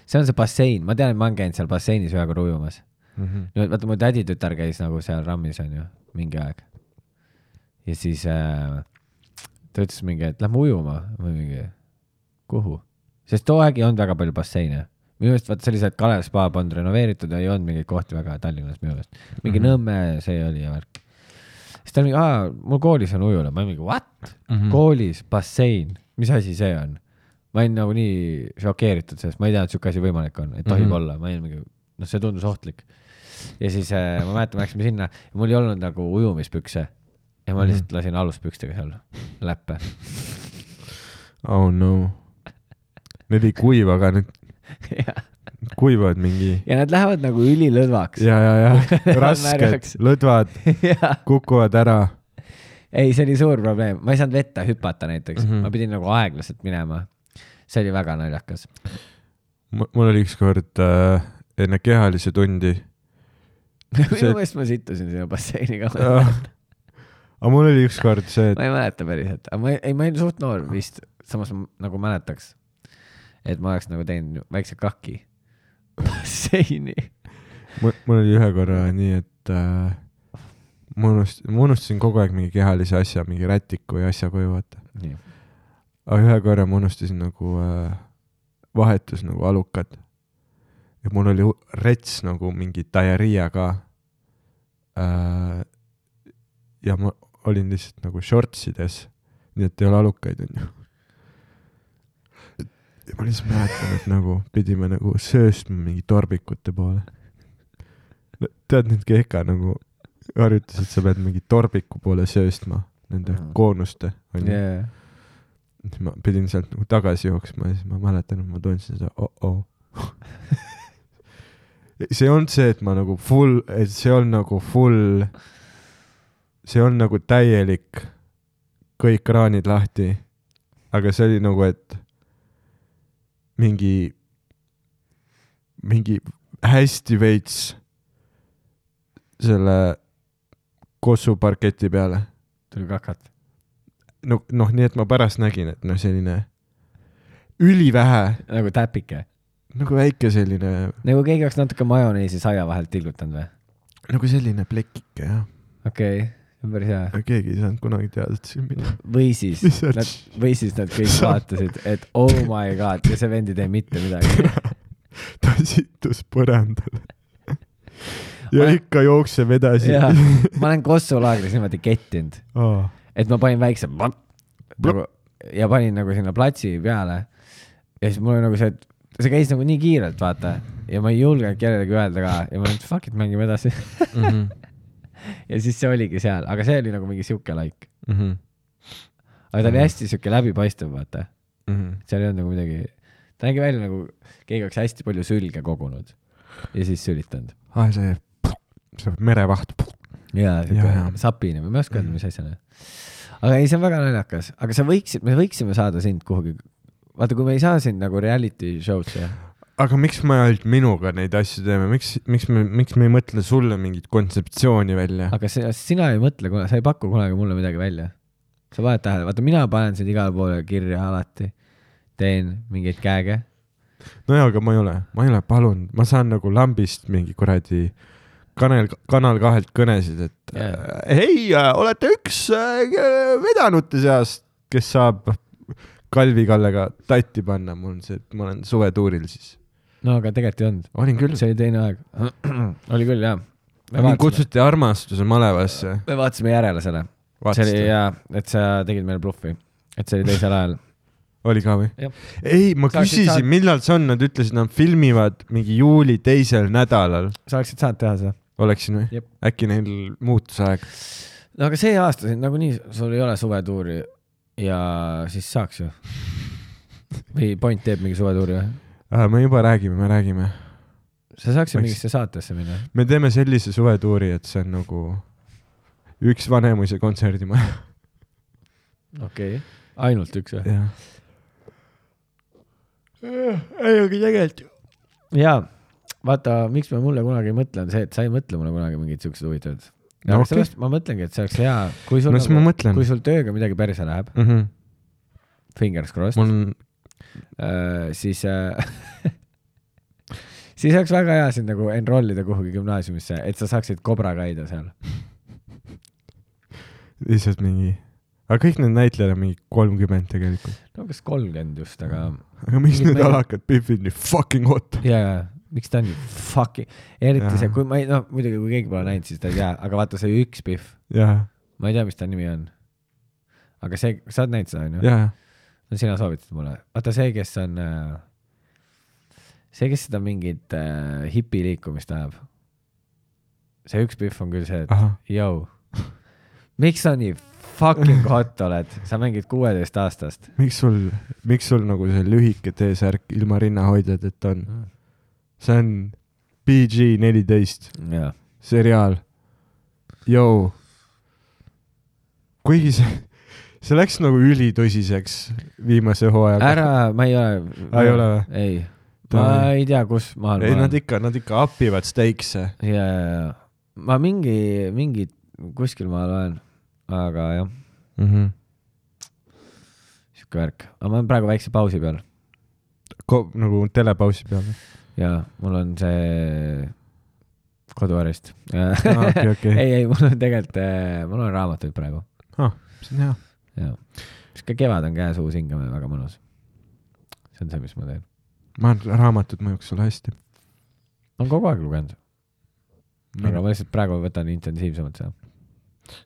see on see bassein, ma tean, et ma olen käinud seal basseinis ühe korra ujumas. Mm -hmm. vaata, mu täditütar käis nagu seal Rammis, on ju, mingi aeg. ja siis äh, ta ütles mingi, et lähme ujuma või mingi, kuhu? Sest too aeg ei olnud väga palju basseine. Minu meelest, vaata, sellised Kalev spa on renoveeritud ja ei olnud mingeid kohti väga Tallinnas minu meelest. Mingi mm -hmm. Nõmme see oli ja värk. Siis ta oli mingi, aa, mul koolis on ujula. Ma olin mingi, what? Mm -hmm. Koolis, bassein, mis asi see on? Ma olin nagu nii šokeeritud sellest, ma ei tea, et siuke asi võimalik on, et tohib mm -hmm. olla. Ma olin mingi, noh, see tundus ohtlik. Ja siis äh, ma mäletan, läksime sinna ja mul ei olnud nagu ujumispükse. Ja ma lihtsalt lasin aluspükstega seal läppe. Oh no. Need ei kuiva, aga need kuivavad mingi... Ja nad lähevad nagu ülilõdvaks. Ja, ja, ja. Rasked, lõdvad, kukuvad ära. Ei, see oli suur probleem. Ma ei saanud vette hüpata näiteks. Mm -hmm. Ma pidin nagu aeglaselt minema. See oli väga naljakas. Mul oli üks kord äh, enne kehalise tundi. Minu meest ma sittusin sinna basseiniga. Aga mul oli üks kord see... Et... Ma ei mäleta päriselt. Aga ma ei, ma ei suht noor vist. Samas ma nagu mäletaks. Et ma oleks nagu teinud väikse kakki basseini. Mul, mul oli ühe korra nii, et äh, ma, unust, ma unustasin kogu aeg mingi kehalise asja, mingi rätiku ja asja koju vaata. Aga ühe korra ma unustasin nagu äh, vahetus nagu alukad. Ja mul oli rets nagu mingi diarrhea ka. Äh, ja ma olin lihtsalt nagu shortsides, nii et ei ole alukaid, on ju. Ja ma lihtsalt mäletan, et nagu pidime nagu sööstma mingi torbikute poole. No, tead nüüd Kehka nagu harjutas, et sa pead mingi torbiku poole sööstma nende mm. koonuste. Yeah. Ma pidin sealt nagu tagasi jooksma ja siis ma mäletan, et ma tundsin seda oh-oh. see on see, et ma nagu full, et see on nagu full, see on nagu täielik kõik kraanid lahti. Aga see oli nagu, et mingi mingi hästi veits selle kossu parketi peale. Tuli kakat. No, noh, nii et ma pärast nägin, et noh, selline ülivähe. Nagu täpike. Nagu väike selline. Nagu keegi oleks natuke majoneesi saia vahelt tilgutanud või? Nagu selline plekike, jah. Okei, okay. Päris hea. Keegi ei saanud kunagi teada, et siin mina. Või siis, nad, või siis nad kõik vaatasid, et oh my god, ja see vend ei tee mitte midagi. Ta sittus põrandale. ja olen... ikka jookseb edasi. ma olen Kossu-laagris niimoodi kettinud. Oh. Et ma panin väikse nagu, ja panin nagu sinna platsi peale. Ja siis mul oli nagu see, et see käis nagu nii kiirelt, vaata. Ja ma ei julgenud kellelegi öelda ka. Ja ma olin, et fuck it, mängime edasi. mm-hmm. Ja siis see oligi seal, aga see oli nagu mingi siuke laik. Mm-hmm. Aga ta oli hästi siuke läbipaistev, vaata. Mm-hmm. Seal ei olnud nagu midagi, ta nägi välja nagu keegi oleks hästi palju sülge kogunud ja siis sülitanud. Ah, see, see merevaht. Jaa, siuke sapine, ma ei oska öelda, mis asjana. Aga ei, see on väga naljakas. Aga sa võiksid, me võiksime saada sind kuhugi, vaata, kui me ei saa sind nagu reality show'sse. aga miks me ainult minuga neid asju teeme, miks, miks me, miks me ei mõtle sulle mingit kontseptsiooni välja? aga see, sina ei mõtle, sa ei paku kunagi mulle midagi välja. Sa paned tähele, vaata mina panen sind igale poole kirja alati, teen mingeid käege. No jaa, aga ma ei ole, ma ei ole palunud, ma saan nagu lambist mingi kuradi kanal, kanal kahelt kõnesid, et yeah. hei, olete üks vedanute seast, kes saab Kalvi Kallega tatti panna, mul on see, et ma olen suvetuuril siis. No aga tegelikult ei olnud. Olin küll. See oli teine aeg. oli küll, jah. Mind kutsuti armastuse malevasse. Me vaatasime järele selle. See oli, jah, et sa tegid meil bluffi. Et see oli teisel ajal. Oli ka või? Ei, ma küsisin, saad... millal see on, nad ütlesid, nad filmivad mingi juuli teisel nädalal. Sa oleksid saanud teha seda? Oleksin või? Jep. Äkki neil muutus aeg? No aga see aasta siin nagu nii, sul ei ole suvetuuri ja siis saaks ju. Või point teeb mingi suvetuuri või? Ah, me juba räägime, me räägime. Sa saaksid Eks... mingisse saatesse minna? Me teeme sellise suvetuuri, et see on nagu üks Vanemuise kontserdimaja. Okei, okay. Ainult üks või? Jah. Ei, aga tegelikult. Jaa, vaata, miks me mulle kunagi ei mõtle, on see, et sa ei mõtle mulle kunagi mingid siuksed huvitavad. No, okay. Sellest ma mõtlengi, et see oleks hea, kui sul, no, nagu, kui sul tööga midagi päris läheb, mm -hmm. fingers crossed, Mul... äh, siis, äh, siis oleks väga hea sind nagu enrollida kuhugi gümnaasiumisse, et sa saaksid kobra käida seal. Lihtsalt mingi, aga kõik need näitlejad on mingi kolmkümmend tegelikult. No kas kolmkümmend just, aga... Aga miks need meil... alakad Biffid nii fucking hot? Jaa, jaa. Miks ta on nii fucking, eriti ja. See, kui ma ei, no muidugi kui keegi pole näinud, siis ta ei tea, aga vaata see üks Biff. Jaa. Ma ei tea, mis ta nimi on. Aga see, sa oled näinud seda, on ju? Jaa. No sina soovitad mulle. Vaata see, kes on, see, kes seda mingit äh, hipi liikumist ajab. See üks Biff on küll see, et jõu, miks sa nii fucking hot oled? Sa mängid kuueteist aastast. Miks sul, miks sul nagu see lühike T-särk ilma rinnahoidjad, et on... Mm. See on P G neliteist ja. Seriaal. Jou. Kuigi see, see läks nagu ülitõsiseks viimase hooajaga. Ära, ma ei ole. Ah, ei ole või? Ei. Ma ei tea, kus maal ei, ma nad ikka, nad ikka appivad steikse. Ja, ja, ja. Ma mingi, mingi kuskil maal olen, aga jah. Mm-hmm. Siuke värk. Aga ma olen praegu väikse pausi peal. Ko, nagu telepausi peal või? Jaa, mul on see koduarist. Ah, okay, okay. ei, ei, mul on tegelikult, mul on raamatuid praegu. Ah, see on hea. Jaa. Siis ka kevad on käes uus hingame väga mõnus. See on see, mis ma teen. Ma olen raamatud mõjuks sulle hästi. Ma olen kogu aeg lugenud. Aga ma lihtsalt praegu võtan intensiivsemalt seda.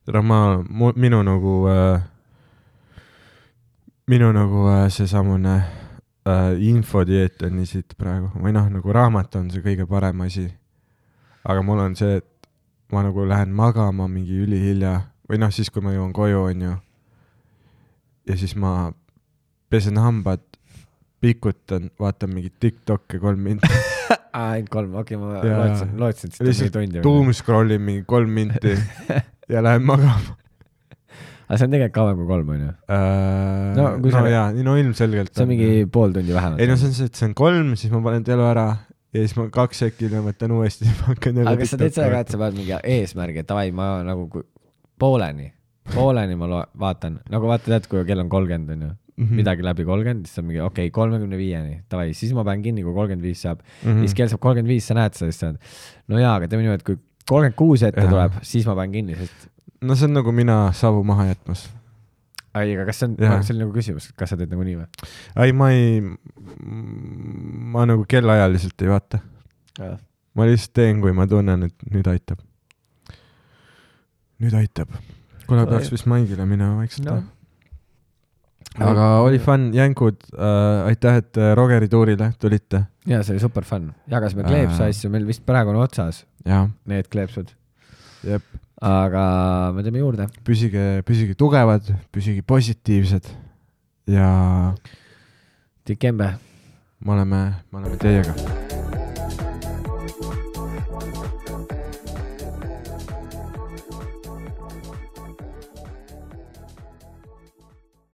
Tere, ma, minu nagu, äh, minu nagu äh, see samune Uh, infodieet on nii siit praegu. Või noh, nagu raamat on see kõige parem asi. Aga mul on see, et ma nagu lähen magama mingi ülihilja. Või noh, siis kui ma jõuan koju, on ju. Ja siis ma pesen hambad, pikutan, vaatan mingi TikTokke kolm minti. Ainult kolm, okei, okay, ma lootsin, lootsin, et seda mingi tundi. Doomscrollin mingi kolm minti ja lähen magama. Aga see on tegelikult kauem kui kolm, on ju? Uh, no, no sa... jaa, no ilmselgelt. See on mingi pool tundi vähemalt. Ei no see on see, et see on kolm, siis ma panen telu ära ja siis ma kaks sekki ja võtan uuesti. Aga kas sa teed seda ka, et sa paned mingi eesmärgi, et davai, ma nagu pooleni, pooleni ma lo- vaatan. Nagu vaata tead, kui kell on kolmkümmend, on ju? Mm-hmm. Midagi läbi kolmkümmend, siis on mingi, okei, okay, kolmekümne viieni, davai, siis ma panen kinni, kui kolmkümmend viis saab. Mm-hmm. Siis kell saab kolmkümmend viis, sa näed seda, siis sa oled, no jaa, aga teeme nii, et kui kolmkümmend kuus ette ja. Tuleb, siis ma panen kinni, sest no see on nagu mina savu maha jätmas. Ai, aga kas see on, see on nagu küsimus, kas sa teed nagu nii või? Ai, ma ei, ma nagu kellaajaliselt ei vaata. Ja. Ma lihtsalt teen, kui ma tunnen, et nüüd aitab. Nüüd aitab. Kule peaks vist maigile minema vaikselt. No. Aga oli fun, jängud, äh, aitäh, et Rogeri tuurile tulite. Jaa, see oli super fun. Jagasime kleepsa asju, meil vist praegu on otsas. Ja. Need kleepsud. Jep. Aga me teeme juurde. Püsige, püsige tugevad, püsige positiivsed ja Tikembe. Me oleme, me oleme teiega.